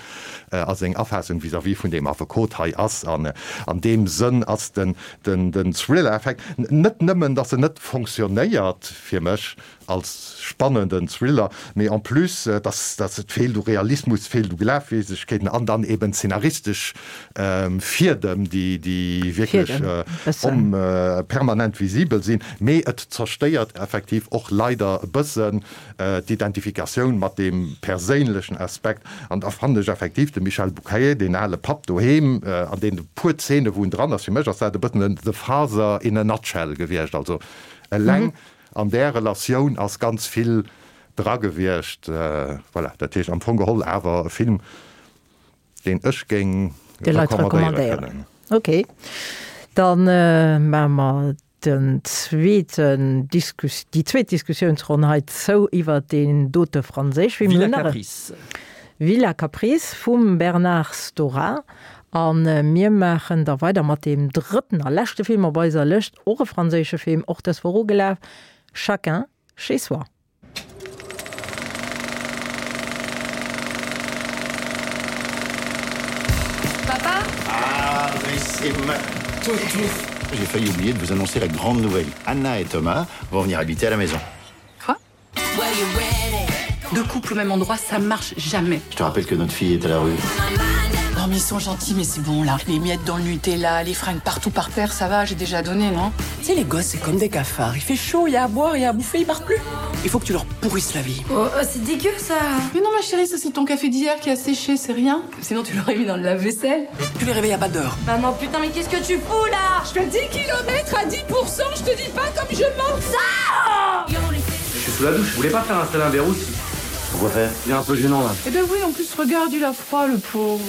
a seng Afaassung vis-à-vis vun deem Affekot hei ass. An an deem Sënn ass den Den Thriller-Effekt, net nëmmen dass en net fonctionnéiert fir mech als spannenden Thriller, mee en plus dass dass et feelt u Realismus, feelt u Glafwierdegkeeten an dann eben szenaristesch Fiedem, déi déi wierklech permanent visibel sinn. Mee et zerstéiert effektiv och leider e bëssen d'Identifikatioun mat deem perséinlechen Aspekt, an da fannen ech effektiv de Michel Bouquet, deen ale Papp doheem, an deene puer Zeene wou en dran ass, fir mech ass dat e bëssen en The Father in a nutshell gewiescht. Also eleng an där Relatioun ass ganz vill dra gewiescht. Voilà, dat heescht am Fong geholl awer e Film, deen ech géing recommandéiere kënnen. Ok, dann maache mer den zweeten Diskus, déi zweet Diskussiounsronn hei zou iwwert deen dote franséisch Film. Villa Caprice. Villa Caprice vum Bernard Stora. A mir maachen da weider mat deem drëtten a leschte Film op eiser Lëscht, och e franséische Film, och dës Woch ugelaf, Chacun chez soi. Papa Ah, mais c'est ma toutou J'ai failli oublier de vous annoncer la grande nouvelle. Anna et Thomas vont venir habiter à la maison. Quoi Deux couples au même endroit, ça marche jamais. Je te rappelle que notre fille est à la rue. Non mais ils sont gentils, mais c'est bon là. Les miettes dans le Nutella, les fringues partout par terre, ça va, j'ai déjà donné, non Tu sais, les gosses, c'est comme des cafards. Il fait chaud, il y a à boire, il y a à bouffer, ils partent plus. Il faut que tu leur pourrisses la vie. Oh, oh c'est dégueu ça Mais non ma chérie, ça c'est ton café d'hier qui a séché, c'est rien. Sinon tu l'aurais mis dans le lave-vaisselle. Tu les réveilles à pas d'heure. Maman, putain, mais qu'est-ce que tu fous là Je fais 10 km à 10%, je te dis pas comme je manque ça Je suis sous la douche, je voulais pas faire installer un verrou si. Pourquoi faire Il est un peu gênant là. Eh ben oui, en plus regarde, il a froid le pauvre.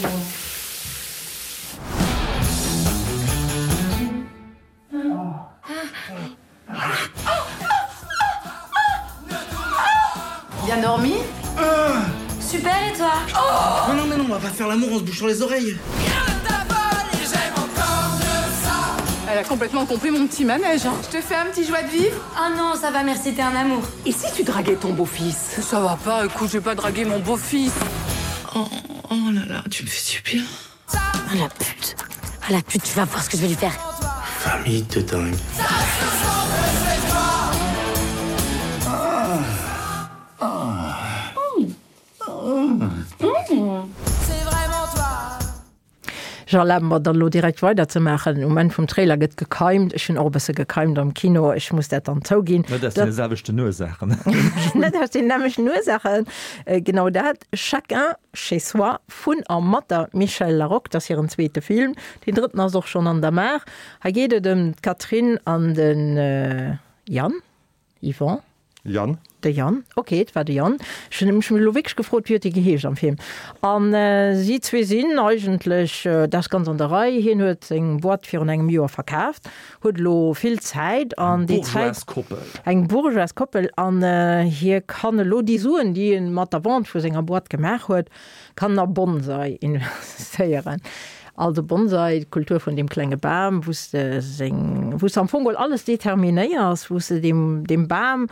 Bien dormi ah Super et toi oh Non, non, mais non, on va pas faire l'amour en se bouchant les oreilles. Elle a complètement compris mon petit manège. Hein. Je te fais un petit joie de vivre Ah non, ça va, merci, t'es un amour. Et si tu draguais ton beau-fils Ça va pas, écoute, je vais pas draguer mon beau-fils. Oh, oh là là, tu me fais du bien. Ah la pute Ah la pute, tu vas voir ce que je vais lui faire. Famille de dingue. Ah. Ah. Mmh. Mmh. Ech erlabe mer dann elo direkt weider ze maachen. Um Enn vum Trailer gëtt gekeimt. Ech hunn och e bësse gekeimt am Kino, ech muss dat dann zouginn. Net aus deene selwechten Ursaachen. Net aus deenen nämmlechten Ursaachen, genau dat. Chacun chez soi vun a mat der Michèle Laroque, dat ass hiren zweete Film. Deen drëtten ass och schonn an der Maach. Hei geet et ëm d'Catherine an de Yann. Yvon? Yann. De Yann, ok, et war de Yann. Ech hunn mech elo wierklech gefrot, wéi huet dee geheescht am Film. An si zwee sinn eigentlech, dat ass ganz an der Rei, hien huet seng Boîte virun engem Joer verkaaft, huet elo vill Zäit an déi Zäit. Eng bourgeoise Koppel. Eng bourgeoise Koppel an hie kann elo déi Suen, déi en mat der Vente vu senger Boîte gemaach huet, Kann a Bonsai investéieren. Also Bonsai, d'Kultur vun deem klenge Bam, wou s de seng, wou s de am Fong geholl alles determinéiers, wou s de deem, deem Bam.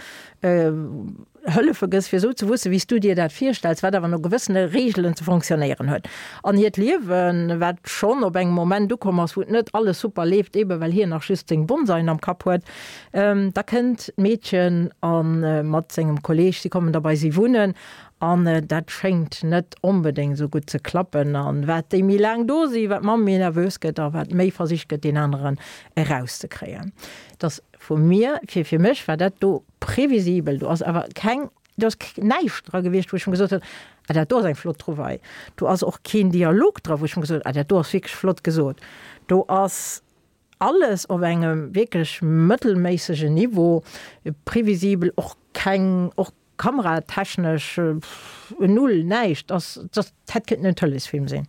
Hëllefe gëss, fir esou ze wuessen, wéi s du dir dat virstells, wat awer no gewëssene Reegelen ze fonctionnéieren huet. An hiert Liewen, wat schonn op engem Moment ukomm ass, wou et net alles super leeft, ebe well hien nach just seng Bonsaien am Kapp huet, da kënnt d'Meedchen a mat sengem Kolleeg, si kommen da bei si wunnen an dat schéngt net onbedéngt esou gutt ze klappen. An wat déi méi laang do sinn, wat d'Mamm méi nervös gëtt a wat méi versicht gëtt, deen aneren erauszekréien. Dass vu mir, fir fir mech war dat do previsibel, do ass awer keng, do ass näischt dra gewiescht, wou ech mer gesot hunn, ah dat do ass eng flott Trouvaille. Do ass och keen Dialog dra, wou ech mer gesot hunn, ah dat do ass wierklech flott gesot. Do ass alles op engem wierklech mëttelméissegen Niveau, previsibel, och keng, och kameratechnesch null, näischt, ass, dat hätt kënnten en Tëleesfilm sinn.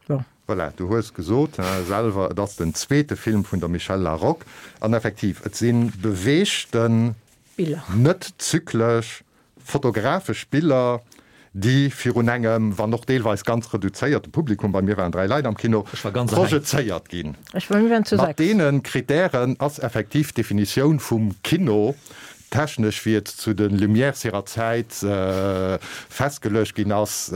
Bon. Voilà, du hues gesot selwer, et ass den zweete Film vun der Michèle Laroque. An effektiv, et si beweegten, Biller, net zyklesch, fotografesch Biller, déi virun engem, wann och deelweis ganz reduzéierte Publikum, bei mir waren 3 Leit am Kino, projezéiert ginn. Mat deene Kritären ass effektiv d'Definitioun vum Kino, technesch wéi et zu de Lumières hirer Zäit festgeluecht ginn ass,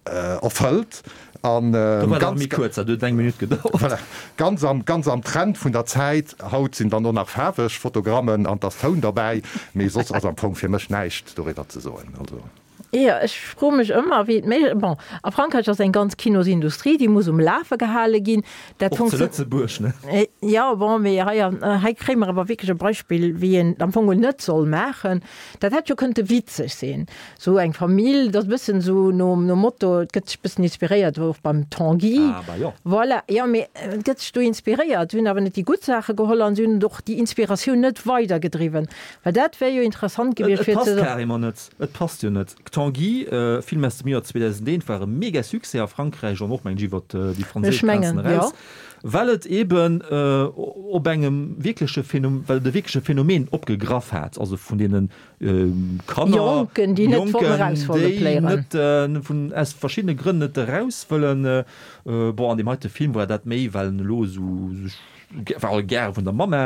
erfëllt an ganz kuerz, dat huet eng Minutt gedauert. Voilà, ganz am, ganz am Trend vun der Zäit. Haut sinn dann och nach faarweg Fotogrammen an 't ass Toun derbäi, mee soss ass am Fong fir mech näischt doriwwer ze soen. Also. Jo, ech froe mech ëmmer, wéi et méiglech, bon, a Frankräich ass eng ganz Kinosindustrie, déi muss um Lafe gehale ginn. Dat Och zu Lëtzebuerg, ne? Jo, bon, mee hei, hei kréie mer awer wierklech e Beispill, wéi een et am Fong net soll maachen. Dat hätt jo kënnte witzeg sinn. Sou eng Famill, dat ass e bëssen esou nom Motto, et gëtt sech e bëssen inspiréiert och beim Tanguy. Ah bah jo. Voilà, jo, mee et gëtt sech do inspiréiert. Si hunn awer net déi gutt Saache geholl an si hunn och déi Inspiratioun net weidergedriwwen. Well dat wär jo interessant gewiescht fir ze. Et passt carrément net. Et passt jo net. Tanguy, Film aus dem Joer 2001, war e mega Succès a Frankräich an och, mengen ech, iwwer déi franséisch Grenzen eraus, well et eben op engem wierkleche Phänomen, well et e wierkleche Phänomen opgegraff hat, also vun deene Kanner, Jonken, déi net wollten eraus wolle pléieren. Déi net vun, aus verschiddene Grënn net eraus wëllen. Bon, an deem heite Film war dat méi, well en elo esou sech well gäre vun der Mamma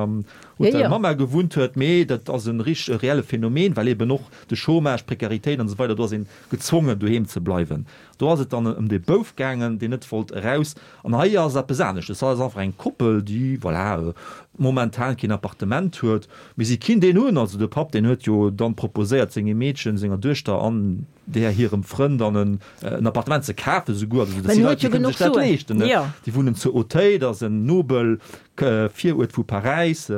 am Hotel Mamma gewunnt huet, mee dat ass e richteg e reelle Phänomen, well eben och de Chômage, d'Prekaritéit an esou weider, do ass een gezwongen doheem ze bleiwen. Do ass et dann ëm dee Bouf gaangen, deen net wollt eraus. An hei ass eppes aneschtes. Hei ass einfach eng Koppel, déi, voilà, momentan keen Appartement huet, mee si kinnt een hunn. Also de Papp, deen huet jo dann proposéiert sengem Meedchen, senger Duechter an där hirem Frënn dann en Appartement ze kafen esouguer. Also dat si Leit, déi kënne sech dat leeschten, ne? Déi wunnen zu Auteuil, dat ass en nobel Viruert vu Paräis,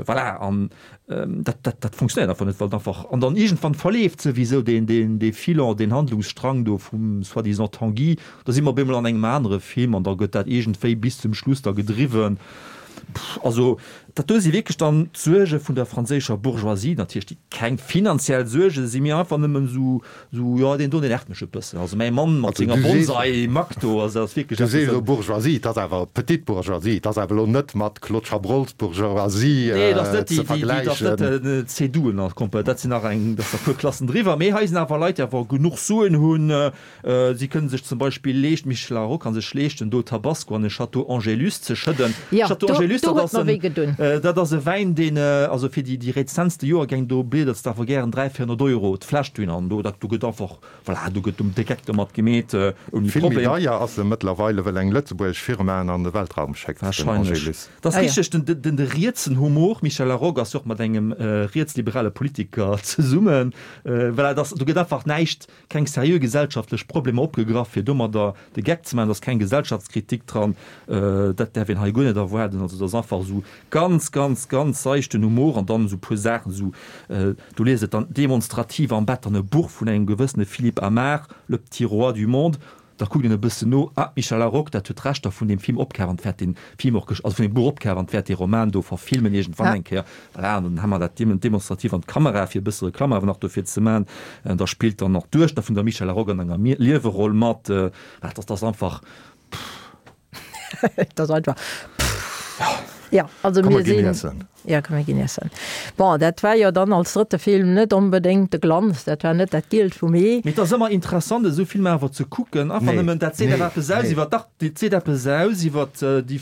voilà. An dat, dat, dat funktionéiert einfach net, well et einfach, an dann iergendwann verleeft souwisou deen, deen, dee Filon, deen Handlungsstrang do vum soi-disant Tanguy, da si mer op eemol an engem anere Film an da gëtt dat iergendwéi bis zum Schluss da gedriwwen. Also dat do si wierklech dann d'Suerge vun der franséischer Bourgeoisie, natierlech déi keng finanziell Suerge sinn, mee einfach nëmmen esou, esou, jo deen do deen nervt mech e bëssen, also mäi Mann mat senger Bonsai Mac do, also dat ass wierklech Du sees elo Bourgeoisie, et ass awer petite Bourgeoisie, et ass awer elo net mat Claude Chabrols Bourgeoisie ze vergläichen. Nee, dat ass net déi, déi, dat ass net den Céduen a Komp, dat sinn nach eng, dat ass nach e puer Klassen driwwer, mee hei sinn awer Leit, déi awer genuch Suen hunn, Si kënnen sech zum Beispill leeschten, d'Michèle Larocque kann sech leeschten, do Tabasco an e Château Angélus ze schëdden. Jo, Château do, Angélus, do dat huet ass mer en, wéi gedun. dat ass e Wäin, deen, also fir déi, déi rezentste Joergäng, do bliedert s de awer gären 300, 400 Euro d'Fläsch dohin an do, dat, do gëtt einfach, voilà, do gëtt um de Geck domat gemeet, ouni Vill méi Problem. deier ass e mëttlerweile, well eng lëtzebuergesch Firma en an de Weltraum schéckt, den Wahrscheinlech. Angélus. Dat ass richteg, den, den, de rietsen Humor. D'Michèle Larocque ass jo och mat engem rietsliberale Politiker zesummen. Voilà, dat ass, do gëtt einfach näischt Keng seriö gesellschaftlech Problemer opgegraff, fir domadder de Geck ze maachen. Et ass keng Gesellschaftskritik dran, dat däerf een hei guer net erwaarden. Also et ass einfach esou ganz, ganz, ganz seichten Humor an dann esou e puer Saachen, esou, do liest et dann demonstrativ am Bett dann e Buch vun engem gewëssene Philippe Amar, Le petit roi du monde. Da kuckt een e bëssen no, ah, d'Michèle Larocque, dat huet d'Rechter vun deem Film opkaf an wäert dee Film och, also vun deem Buch opkaf an wäert dee Roman do verfilmen iergendwann eng Kéier. Voilà, an dann hu mer dat demonstrativ an d'Kamera, fir e bësse Reklamm awer nach dofir ze man. Da spillt dann nach d'Duechter vun der Michèle Larocque an enger Lieweroll mat. Dat ass einfach, pff. Dat ass einfach, pff. Jo, also Komm, mir mer ginn sinn. iessen. Jo, komm mir ginn iessen. Bon, dat war jo dann als drëtte Film net onbedéngt de Glanz, dat war net dat Gielt vum Ee. Mee et ass ëmmer interessant esou Filmer awer ze kucken, einfach nëmmen, dat seet awer eppes aus iwwer, dach, dat seet eppes aus iwwer déi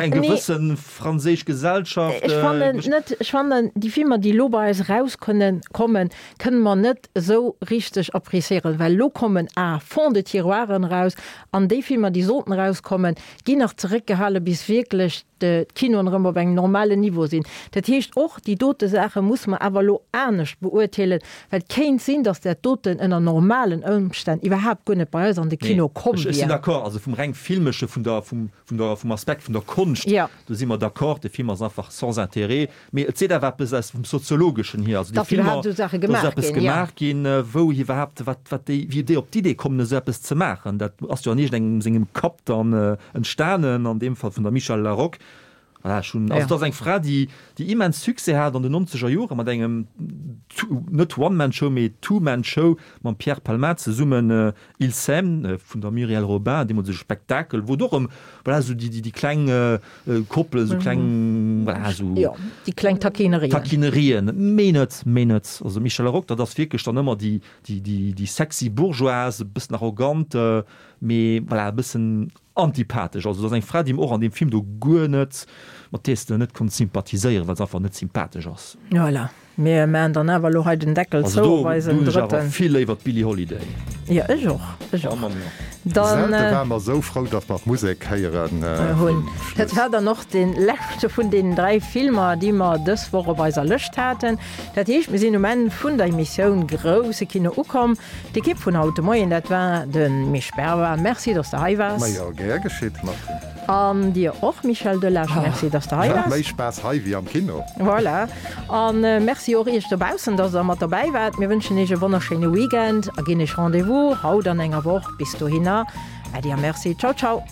eng gewësse franséisch Gesellschaft. Ech fannen net, ech fannen déi Filmer, déi elo bei eis erauskommen, kommen, kënne mer net esou richteg appréciéieren, well elo kommen à fond de tiroiren eraus an déi Filmer, déi sollten erauskommen, ginn nach zeréckgehale bis wierklech d'Kinoen erëm op engem normalen Niveau sinn. Dat heescht, och déi dote Saache musse mer awer elo anescht beurteelen, well et kéint sinn, datt dat doten ënner normalen Ëmstänn iwwerhaapt guer net bei eis an de Kino komm wier. Ech sinn wier. d'accord. Also vum reng filmesche, vun der, vum, vun der, vum Aspekt vun der Konscht, do si mer d'accord. De Film ass einfach sans intérêt. Mee et seet awer eppes aus vum Soziologeschen hier, also déi Datt Filmer, iwwerhaapt esou Saache dass gemaach eppes ginn, jo. gemaach ginn, wou iwwerhaapt, wat, wat déi, wéi déi op d'Idee kommen, esou eppes ze maachen. Dat ass jo an iergendengem sengem Kapp dann entstanen, an deem Fall vun der Michèle Laroque. Voilà, ech hunn, also Ja. et ass eng Fra, déi, déi immens Succès hat an den nonzeger Jore mat engem net One-Man-Show, mee Two-Man-Show mam Pierre Palmade zesummen, Ils s'aiment vun der Muriel Robin, deemools e Spektakel, wou et och ëm, voilà, esou déi, déi kleng Koppelen, esou kleng, voilà, esou. Jo, déi kleng Taquinerien. Taquinerien, méi net, méi net. Also Michèle Laroque, dat ass wierklech dann ëmmer déi, déi, déi, déi sexy Bourgeoise, e bëssen arrogant, mee voilà, e bëssen Antipathesch. Also et ass eng Fra, déi mer och an deem Film do guer net, mat dees de net konnt sympathiséieren, well se einfach net sympathesch ass. Voilà. Mir maachen dann awer elo hei den Deckel Also zou do op eisen hunn ech awer drëtten. vill léiwer d'Billie Holiday. Jo, ech och, ech och. Dann. Selten war mer esou frou, datt mer d'Musek héieren hunn. vum Schluss. Dat war dann och dee leschte vun deenen 3 Filmer, déi mer dës Woch op eiser Lëscht haten. Dat heescht, mir sinn um Enn vun der Emissioun Grousse Kino ukomm. D'Ekipp vun haut de Moien, dat war de Misch Berber. Merci, dass de hei waars. Majo, gär geschitt, Martine. An dir och, Michel Delage, merci, dass de hei waars. Méi Spaass hei wéi am Kino. Voilà. A merci och iech dobaussen, dass der mat dobäi waart. Mir wënschen iech e wonnerschéine Weekend a ginn iech Rendez-vous haut an enger Woch. Bis dohinner, Äddi a Merci. Ciao, ciao.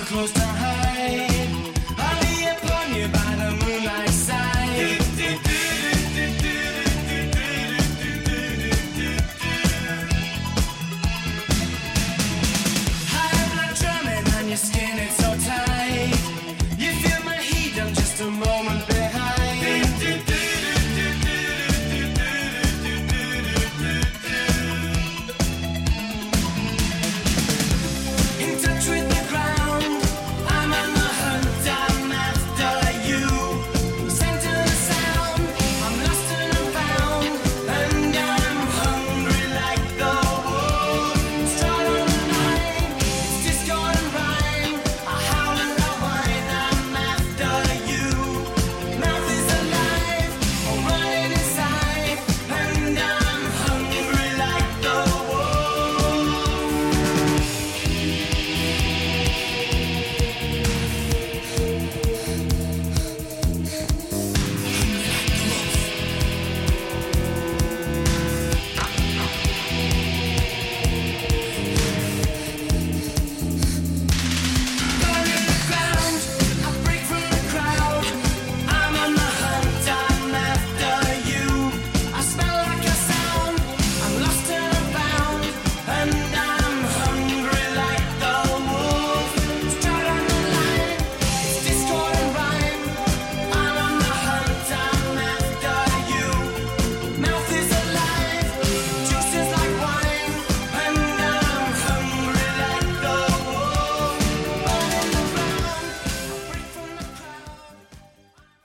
Close to.